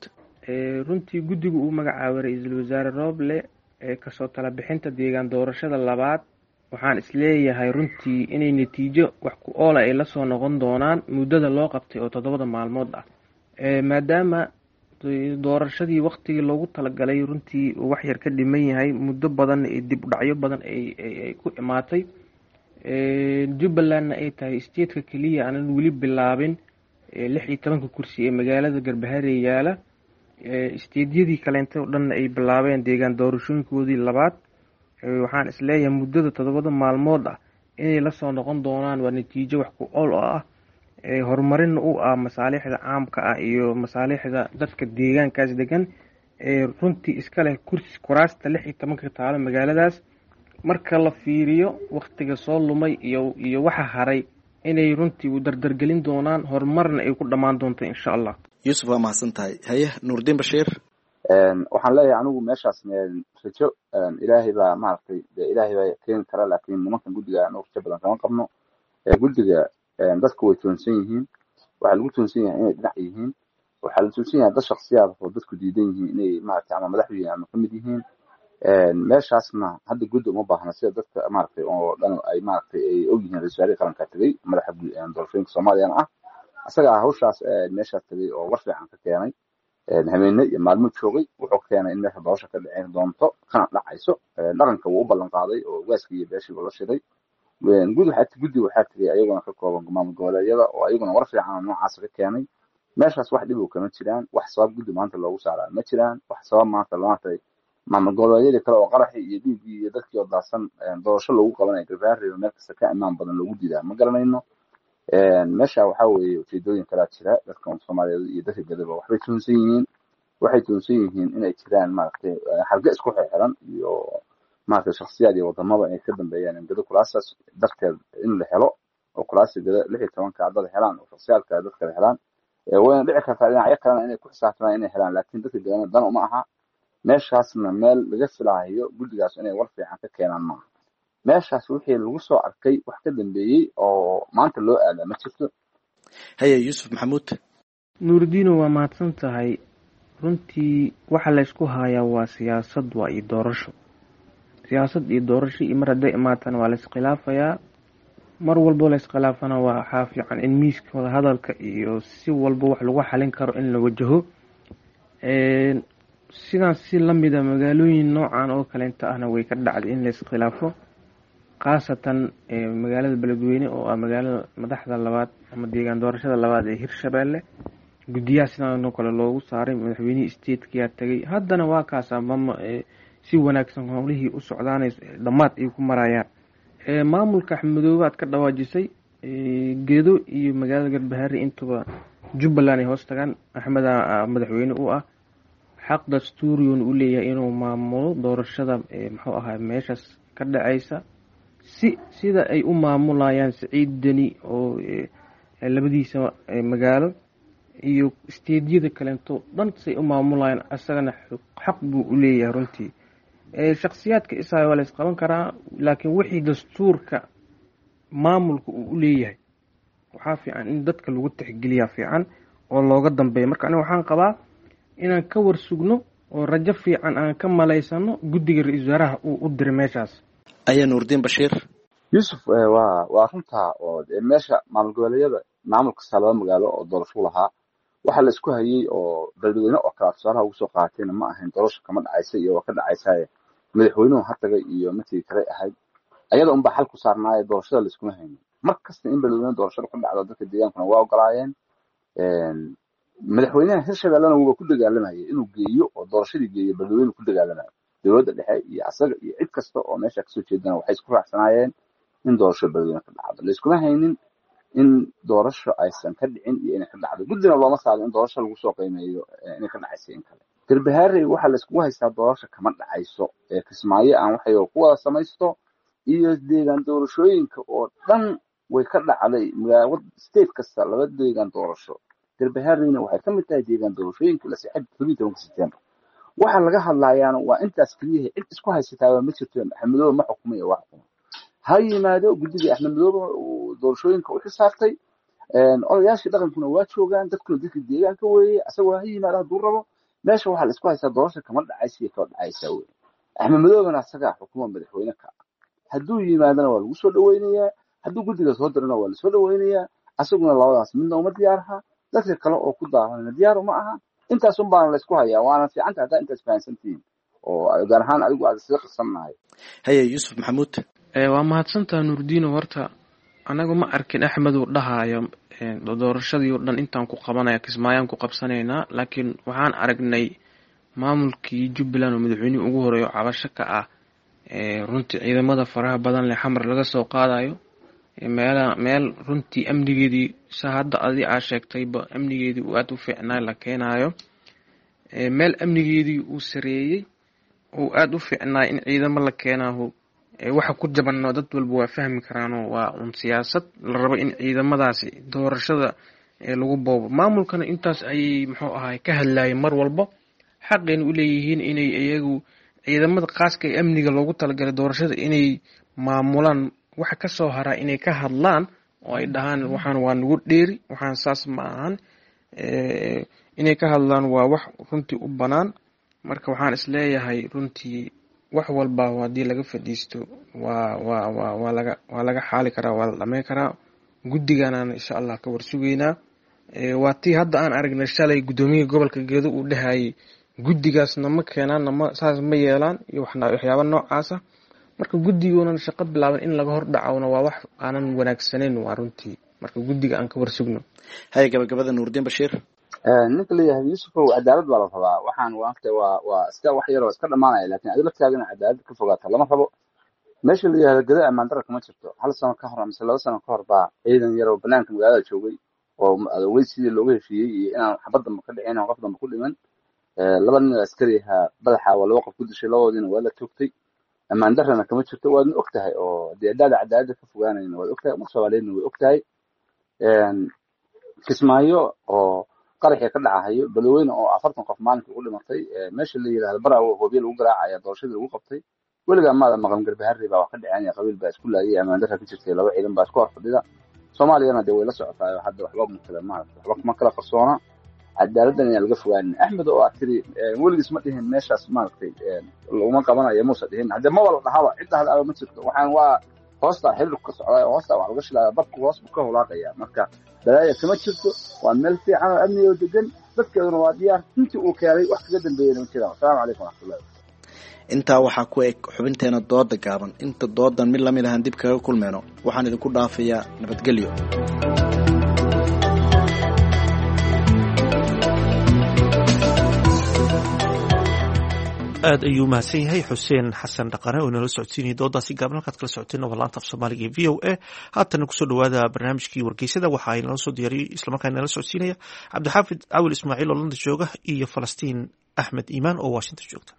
Runtii guddigu uu magacaabay ra-iisul wasaare Rooble ee kasoo tala bixinta deegaan doorashada labaad, waxaan isleeyahay runtii inay natiijo wax ku oola ay lasoo noqon doonaan muddada loo qabtay oo 7da maalmood ah, maadaama doorashadii waktigii loogu talagalay runtii uu wax yar ka dhiman yahay, muddo badanna ee dib u dhacyo badan ay ku imaatay. Jubbalandna ay tahay stateka keliya aanan weli bilaabin 16-ka kursi ee magaalada Garbaharey yaala, stateyadii kaleento o dhanna ay bilaabeen deegaan doorashooyinkoodii labaad. Waxaan isleeyahay muddada 7da maalmood ah inay lasoo noqon doonaan waa natiijo wax ku ool oo ah, horumarinna u ah masaalixda caamka ah iyo masaalixda dadka deegaankaas degan ee runtii iska leh kursi kuraasta 16-ka taalo magaaladaas. Marka la fiiriyo waktiga soo lumay iyo waxa haray, inay runtii u dardargelin doonaan, horumarna ay ku dhammaan doonto insha Allah. Yuusuf, waa mahadsan tahay. Haye, Nuurdiin Bashiir. Waxaan leeyahay anigu meeshaas rajo Ilaahay baa maaragtay, dee Ilaahay baa keeni kara, laakiin nimankan guddiga anigu rajo badan kama qabno. Guddiga dadku way toonsan yihiin. Waxaa lagu toonsan yahay inay dhinac yihiin. Waxaa la toonsan yahay dad shaksiyaad oo dadku diidan yihiin inay maaragtay ama madax yihiin ama kamid yihiin. Meeshaasna hadda guddi uma baahna, sida dadka maaragtay oo dhan ay maaragtay ay og yihiin. Ra-iisul wasaarihii qaranka tegey, madaxa doorashooyinka Soomaaliyana ah, isagaa hawshaas meeshaas tegey oo war fiican ka keenay. Habeenne iyo maalmo joogay, wuxuu keenay in meesha doorasha ka dhicin doonto kana dhacayso. Dhaqanka wuu u ballan qaaday oo ugaaskii iyo beeshii la shiray. Guddi waxaa tegey ayaguna ka kooban maamul goboleedyada oo ayaguna war fiican oo noocaas ka keenay. Meeshaas wax dhib oo kama jiraan. Wax sabab guddi maanta loogu saaraa ma jiraan. Wax sabab maanta maaragtay maamul goboleedyadii kale oo qaraxii iyo dhiiggii iyo dadkii oo daadsan doorasho loogu qabanayo Garbaharey meel kasta ka ammaan badan loogu diidaa ma garanayno. Meesha waxaa weeye ujeedooyin kalaa jira. Dadka Soomaaliyeed iyo dadka gadaba waxbay tuunsan yihiin. Waxay tuunsan yihiin inay jiraan maaragtay xarge isku xirxiran iyo maaragtay shakhsiyaad iyo wadamaba inay ka dambeeyaan in gado kuraastaas darteed in la helo oo kuraasta gado 16-ka dad helaan oo shakhsiyaadka dad kale helaan. Wayna dhici kartaa dhinacyo kalena inay ku xisaabtamaan inay helaan, laakiin dadka gadana dan uma aha. Meeshaasna meel laga filaayo guddigaas inay war fiican ka keenaan maaha. Meeshaas wixii lagu soo arkay wax ka dambeeyey oo maanta loo aadaa ma jirto. Haye, Yuusuf Maxamuud. Nuurdiino, waa mahadsan tahay. Runtii waxa laysku hayaa waa siyaasad, waa iyo doorasho, siyaasad iyo doorasho. Iyo mar hadday imaatana waa laiskhilaafayaa. Mar walbo layiskhilaafana waxaa fiican in miiska wadahadalka iyo si walba wax lagu xalin karo in la wajaho. Sidaan si lamida magaalooyin noocan oo kaleenta ahna way ka dhacday in layiskhilaafo, khaasatan magaalada Beledweyne oo ah magaalada madaxda labaad ama deegaan doorashada labaad ee Hirshabeelle. Guddiyaha sidaan oo kale loogu saaray, madaxweynihii statekiyaa tagay. Haddana waa kaas mama si wanaagsan howlihii u socdaanay dhammaad ay ku marayaan. Maamulka Axmedoobe aad ka dhawaajisay, Gedo iyo magaalada Garbaharey intuba Jubbaland ay hoos tagaan. Axmed madaxweyne u ah, xaq dastuuriyuuna u leeyahay inuu maamulo doorashada muxuu ahaa meeshaas ka dhacaysa. Si sida ay u maamulayaan Siciid Deni oo labadiisa magaalo iyo isteedyada kaleento dhan say u maamulayaan, asagana xaq buu u leeyahay runtii. Shakhsiyaadka isaga waa la isqaban karaa, laakiin wixii dastuurka maamulka uu u leeyahay waxaa fiican in dadka lagu tixgeliyaa fiican oo looga dambeeya. Marka aniga waxaan qabaa inaan ka warsugno oo rajo fiican aan ka malaysano guddiga ra-iisul wasaaraha uu u diray meeshaas. Ayaa Nuurdiin Bashiir. Yuusuf, waa runtaa oo meesha maamul goboleedyada maamul kasta laba magaalo oo doorasho lahaa waxaa la isku hayay oo beledweyne oo kale tusaalaha ugu soo qaatayna ma ahayn doorasho kama dhacaysa iyo waa ka dhacaysaye madaxweynuhu ha tagay iyo matii kale ahayd, ayada unbaa xal ku saarnaaye doorashada laiskuma haynin. Mar kasta in beledweyne doorashada ka dhacdo dadka deegaankuna waa ogolaayeen, madaxweynaha Hirshabellena wuuba ku dagaalamayay inuu geeyo oo doorashadii geeyo beledweyne ku dagaalamayo. Dowladda dhexe iyo asaga iyo cid kasta oo meesha kasoo jeedana waxay isku raacsanaayeen in doorasho beledweyne ka dhacdo. Laiskuma haynin in doorasho aysan ka dhicin iyo inay ka dhacdo, guddina looma saarin in doorasho lagu soo qiimeeyo inay ka dhacayso in kale. Garbahaarey waxaa la iskugu haystaa doorasho kama dhacayso ee Kismaayo aan waxay ku wada samaysto iyo deegaan doorashooyinka oo dhan way ka dhacday magaalo state kasta laba deegaan doorasho. Garbahaareyna waxay ka mid tahay deegaan doorashooyinka la saxay 17 September. Waxa laga hadlayaana waa intaas keliya, cid isku haysataaba ma jirto. Axmed Madoobe ma xukumayo, waa xukuma ha yimaado guddigii Axmed Madoobe uu doorashooyinka u xisaabtay, odayaashii dhaqankuna waa joogaan, dadkuna dadka deegaanka weeye, asagoo ha yimaado hadduu rabo. Meesha waxaa la isku haystaa doorasho kama dhacaysa iyo kama dhacaysa wey. Axmed Madoobena asagaa xukuma madaxweyne ka ah, hadduu yimaadana waa lagu soo dhaweynayaa, hadduu guddiga soo dirana waa lasoo dhaweynayaa. Asaguna labadaas midna uma diyaarha, dadka kale oo ku daahanna diyaar uma aha. Intaas un baana la isku hayaa, waana fiicanta haddaa intaas fahansantihiin oo gaar ahaan adigu aad isla qarsannahay. Haye Yuusuf Maxamuud. Waa mahadsantaha Nuurdiino. Horta anagu ma arkin Axmed uu dhahaayo doorashadii oo dhan intaan ku qabanaya Kismaayaan ku qabsanaynaa, laakiin waxaan aragnay maamulkii Jubbaland oo madaxweynihii ugu horeeyo cabasho ka ah runtii ciidamada faraha badan leh xamar laga soo qaadayo meela meel runtii amnigeedii sa hadda adi aa sheegtayba amnigeedii uu aada u fiicnaa la keenayo, meel amnigeedii uu sareeyey uu aada u fiicnaa in ciidamo la keenaaho. Waxa ku jabanno dad walba waa fahmi karaanoo waa un siyaasad la rabo in ciidamadaasi doorashada lagu boobo. Maamulkana intaas ayay muxuu ahaay ka hadlayeen mar walba, xaqayna u leeyihiin inay iyagu ciidamada khaaska ee amniga loogu talagalay doorashada inay maamulaan. Waxa kasoo haraa inay ka hadlaan oo ay dhahaan waxaan waa nagu dheeri, waxaan saas ma ahan, inay ka hadlaan waa wax runtii u bannaan. Marka waxaan isleeyahay runtii wax walba haddii laga fadhiisto waa waa waa waa laga waa laga xaali karaa, waa la dhameyn karaa. Guddiganaan insha Allah ka warsugeynaa. Waa tii hadda aan aragnay shalay guddoomiyaha gobolka Gedo uu dhahayay guddigaasna ma keenaan nama saas ma yeelaan iyo waxyaaba noocaasa. Marka guddigoonan shaqo bilaaban in laga hor dhacona waa wax aanan wanaagsanayn waa runtii. Marka guddiga aan ka warsugno. Haye gabagabada Nuurdiin Bashiir. Ninka leeyahay Yuusufow, cadaalad baa la rabaa. Waxaan waagta waa iska wax yaroo iska dhamaanaya, laakiin adiga laftaagana cadaalad ka fogaata lama rabo. Meesha la yihahdo Gado ammaan darro kama jirto. Hal sano ka hor mise 2 sano ka hor baa ciidan yar oo banaanka magaalada joogay oo adoogay sidii looga heshiiyey iyo inaan xabad dambe ka dhicin oo qof dambe ku dhiman. Laba nin oo askari ahaa badaxa waa laba qof ku dishay, labadoodiina waa la toogtay. Ammaan darrana kama jirto, waadna og tahay oo dee haddaada cadaaladda ka fogaanayna waad og tahay, umar Soomaaliyeedna way og tahay. Kismaayo oo qaraxii ka dhacahayo, Beledweyne oo 40 qof maalinkii ugu dhimatay, meesha la yidhahdo Baraawo hoobiye lagu garaacaya doorashadii lagu qabtay, weligaa maada maqan Garbaharey baa wax ka dhaceen, qabiil baa isku laayay, ammaan darra ka jirtay, laba ciidan baa isku hor fadhida. Soomaaliyana dee way la socotaa hadda, waxba ma kala maarata waxba kuma kala qarsoona. Cadaaladdan ayaan laga fogaanin. Axmed oo aad tiri weligiis ma dhihin meeshaas maaragtay laguma qabanayo, muusa dhihin haddee maba la dhahaba, cid dhahdaaba ma jirto. Waxaan waa hoosta xiriirku ka socdaa oo hoosta wax laga shilaya, dabku hoos buu ka hulaaqaya. Marka balaaya kama jirto, waa meel fiican oo amni oo degan, dadkeeduna waa diyaar. Intii uu keenay wax kaga dambeeyana ma jiraan. Asalaamu calaykum waraxmatullahi. Intaa waxaa ku eg xubinteena dooda gaaban. Inta doodan mid lamid ahaan dib kaga kulmeyno, waxaan idinku dhaafayaa nabadgelyo. Aad ayuu mahadsan yahay Xuseen Xasan Dhaqane oo inala socodsiinaya doodaasi gaaban. Halkaad kala socoteen waa laanta af Soomaaliga ee VOA. Haatana kusoo dhawaada barnaamijkii wargeysada, waxa ay nala soo diyaariyey islamarkaana nala socodsiinaya Cabdixaafid Cawil Ismaaciil oo London jooga iyo Falastiin Axmed Iimaan oo Washington joogta.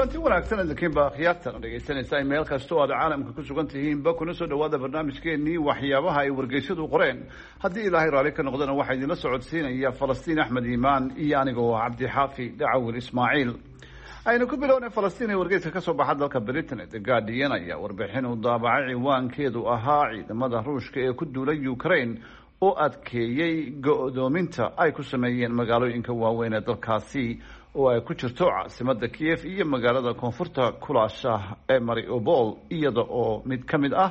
Kulanti wanaagsan idinkiinba akhyaartan dhegaysanaysaa meel kasta oo aad caalamka ku sugan tihiinba, kuna soo dhawaada barnaamijkeenii waxyaabaha ay wargeysyadu qoreen. Haddii Ilaahay raalli ka noqdana, waxaa idinla socodsiinaya Falastiin Axmed Iimaan iyo anigoo Cabdixaafi Dhacawil Ismaaciil. Aynu ku bilownay, Falastiin, ee wargeyska ka soo baxa dalka Britain ee The Guardian ayaa warbixin uu daabacay ciwaankeedu ahaa "Ciidamada Ruushka ee ku duulay Ukraine oo adkeeyey go-doominta ay ku sameeyeen magaalooyinka waaweyn ee dalkaasi", oo ay ku jirto caasimada Kiev iyo magaalada koonfurta kulaasha ee Mariupol, iyada oo mid ka mid ah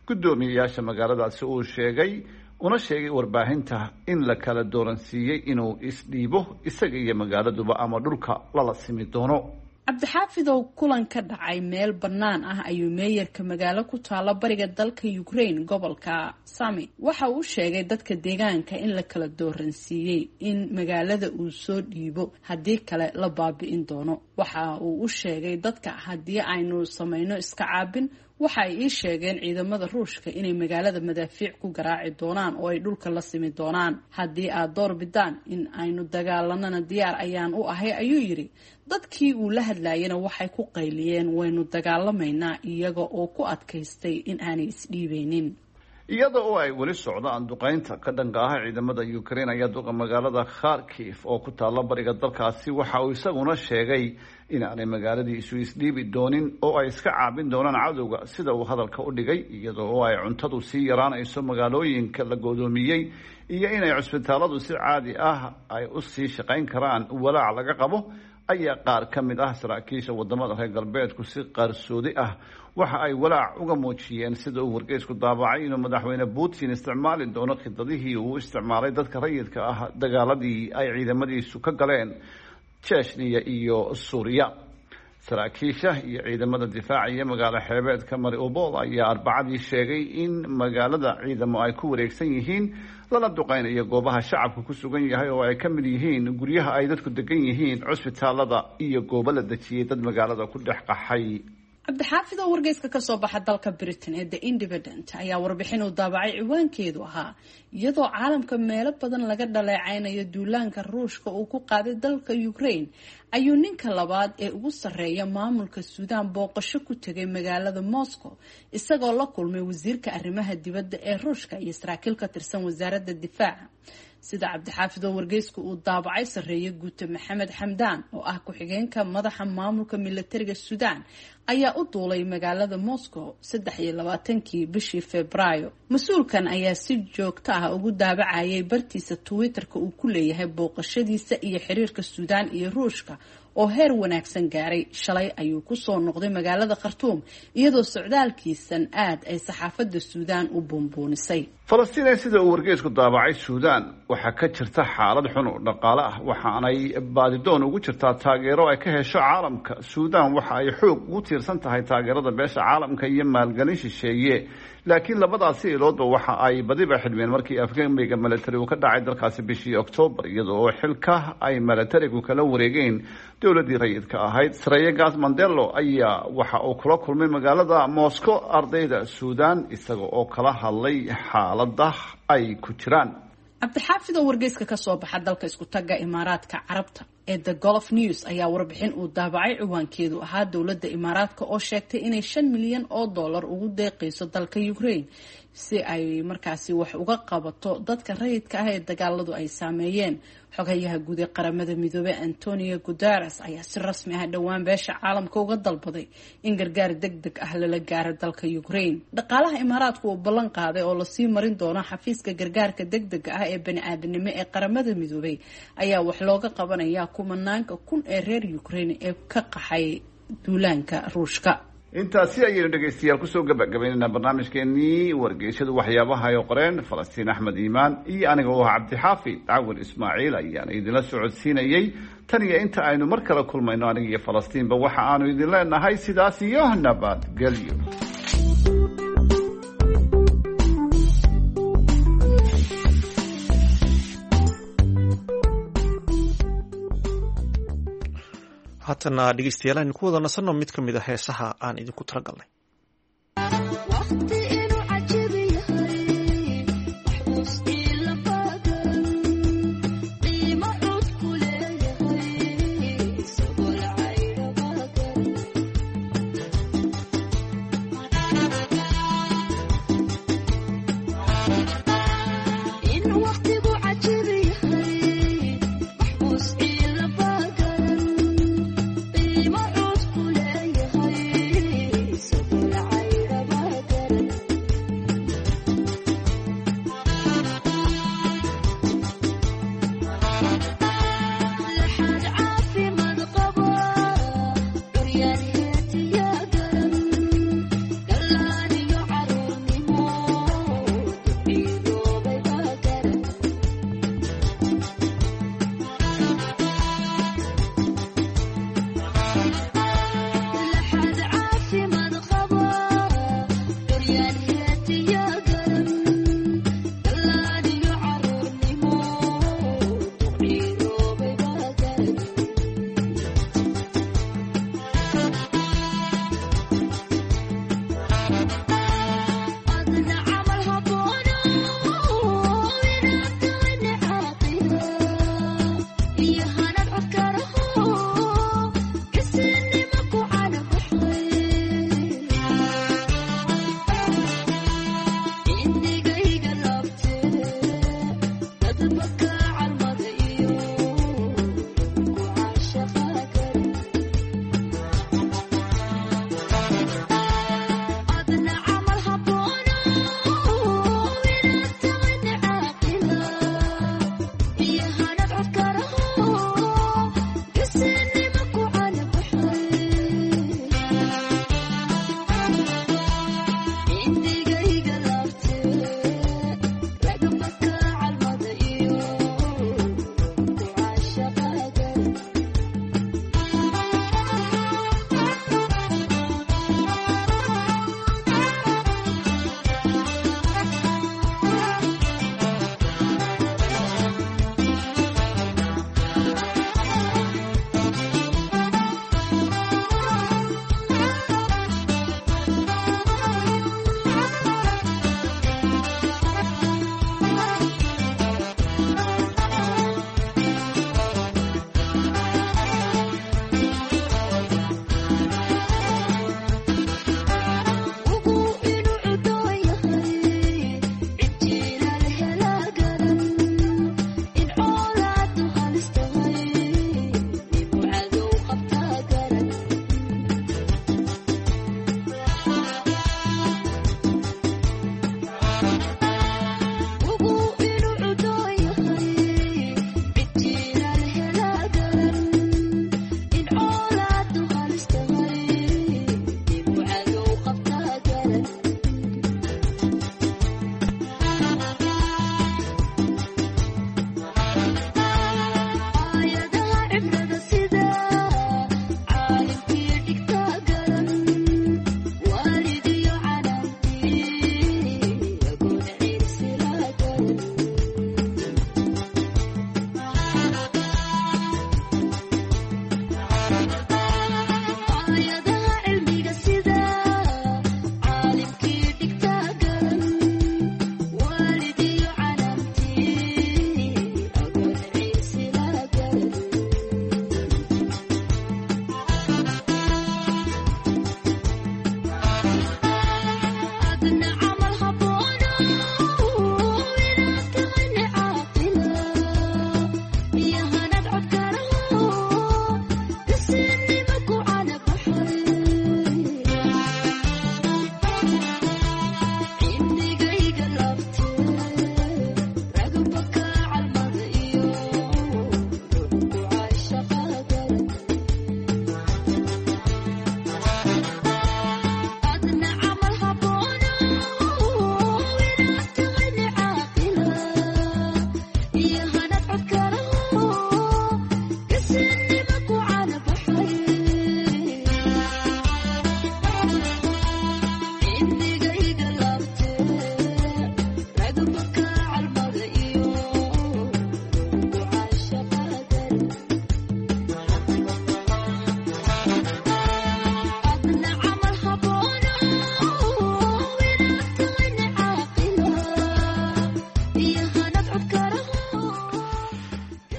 guddoomiyeyaasha magaaladaasi uu sheegay una sheegay warbaahinta in la kala dooransiiyey inuu isdhiibo isaga iyo magaaladuba ama dhulka lala simi doono. Cabdixaafidow, kulan ka dhacay meel bannaan ah ayuu meeyarka magaalo ku taalla bariga dalka Ukraine, gobolka Sami, waxa uu sheegay dadka deegaanka in la kala dooransiiyey in magaalada uu soo dhiibo, haddii kale la baabi'in doono. Waxa uu u sheegay dadka, "Haddii aynu samayno iska caabin, waxa ay ii sheegeen ciidamada Ruushka inay magaalada madaafiic ku garaaci doonaan oo ay dhulka la simi doonaan. Haddii aad door bidaan in aynu dagaalanana, diyaar ayaan u ahay," ayuu yidhi. Dadkii uu la hadlayana waxay ku qayliyeen, "Waynu dagaalamaynaa," iyaga oo ku adkaystay in aanay isdhiibeynin. Iyada oo ay weli socdaan duqeynta ka dhanka ah ciidamada Ukraine ayaa duqa magaalada Kharkiv oo ku taalla bariga dalkaasi waxa uu isaguna sheegay in aanay magaaladiisu isdhiibi doonin oo ay iska caabin doonaan cadowga, sida uu hadalka u dhigay. Iyada oo ay cuntadu sii yaraanayso magaalooyinka la goodoomiyey iyo inay cusbitaaladu si caadi ah ay u sii shaqayn karaan walaac laga qabo, ayaa qaar ka mid ah saraakiisha wadamada reer galbeedku si qarsoodi ah waxa ay walaac uga muujiyeen, sida uu wargeysku daabacay, inuu madaxweyne Putin isticmaali doono khidadihii uu isticmaalay dadka rayidka ah dagaaladii ay ciidamadiisu ka galeen Chechniya iyo Suuriya. Saraakiisha iyo ciidamada difaacaya magaalo xeebeedka Mariupol ayaa Arbacadii sheegay in magaalada ciidamo ay ku wareegsan yihiin, lana duqeynayo goobaha shacabka ku sugan yahay, oo ay ka mid yihiin guryaha ay dadku degan yihiin, cusbitaalada iyo goobo la dejiyey dad magaalada ku dhex qaxay. Cabdixaafid oo wargeyska kasoo baxa dalka Britain ee The Independent ayaa warbixin uu daabacay ciwaankeedu ahaa "Iyadoo caalamka meelo badan laga dhaleeceynayo duulaanka Ruushka uu ku qaaday dalka Ukraine, ayuu ninka labaad ee ugu sarreeya maamulka Suudaan booqasho ku tegay magaalada Moscow, isagoo la kulmay wasiirka arrimaha dibadda ee Ruushka iyo saraakiil ka tirsan wasaaradda difaaca. Sida Cabdixaafid oo wargeysku uu daabacay, sarreeye guute Maxamed Xamdaan oo ah ku-xigeenka madaxa maamulka milatariga Suudaan ayaa u duulay magaalada Moscow 23-kii bishii Febraayo. Mas-uulkan ayaa si joogto ah ugu daabacayay bartiisa Twitter-ka uu ku leeyahay booqashadiisa iyo xiriirka Suudaan iyo Ruushka oo heer wanaagsan gaaray. Shalay ayuu kusoo noqday magaalada Khartuum, iyadoo socdaalkiisan aad ay saxaafadda Suudaan u buunbuunisay. Falastiin ee sida uu wargeysku daabacay, Suudaan waxaa ka jirta xaalad xun oo dhaqaale ah, waxaanay baadidoon ugu jirtaa taageero ay ka hesho caalamka. Suudaan waxa ay xoog ugu tiirsan tahay taageerada beesha caalamka iyo maalgelin shisheeye, laakiin labadaasi iloodba waxa ay badiba xidhmeen markii afgembiga milatari uu ka dhacay dalkaasi bishii Oktoobar, iyada oo xilka ay milatarigu kala wareegeen dowladdii rayidka ahayd. Sareeye Gaas Mandelo ayaa waxa uu kula kulmay magaalada Moscow ardayda Suudaan, isaga oo kala hadlay xaaladda ay ku jiraan. Cabdixaafid oo wargeyska kasoo baxa dalka isku tagga Imaaraadka Carabta ee The Gulf News ayaa warbixin uu daabacay ciwaankeedu ahaa "Dowladda Imaaraadka oo sheegtay inay 5 milyan oo dollar ugu deeqayso dalka Ukraine si ay markaasi wax uga qabato dadka rayidka ah ee dagaaladu ay saameeyeen". Xogayaha guud ee Qaramada Midoobey Antonio Guterres ayaa si rasmi ah dhowaan beesha caalamka uga dalbaday in gargaar deg deg ah lala gaaro dalka Ukraine. Dhaqaalaha Imaaraadku uu ballan qaaday oo lasii marin doono xafiiska gargaarka deg dega ah ee bani-aadanimo ee Qaramada Midoobey ayaa wax looga qabanayaa kumanaanka kun ee reer Ukraine ee ka qaxay duulaanka Ruushka. Intaasi ayaynu dhegaystayaal kusoo gabagabaynaynaa barnaamijkeenii wargeysyadu waxyaabaha ay qoreen. Falastiin Axmed Iimaan iyo aniga oo ah Cabdixaafi Cawil Ismaaciil ayaana idinla socodsiinayey. Tan iyo inta aynu mar kale kulmayno, aniga iyo Falastiinba waxa aanu idin leenahay sidaas iyo nabadgelyo. Haatana dhegeystayaal, aynu ku wada nasanno mid ka mid a heesaha aan idinku talagalnay.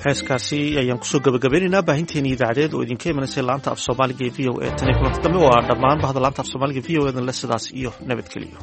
Heeskaasi ayaan kusoo gabagabeynaynaa baahinteeni idaacadeed oo idinka imanaysay laanta af soomaaliga ee v o a. Tan iyo kulanti dambe waa dhammaan bahda laanta af soomaaliga v o edan le sidaas iyo nabadgeliyo.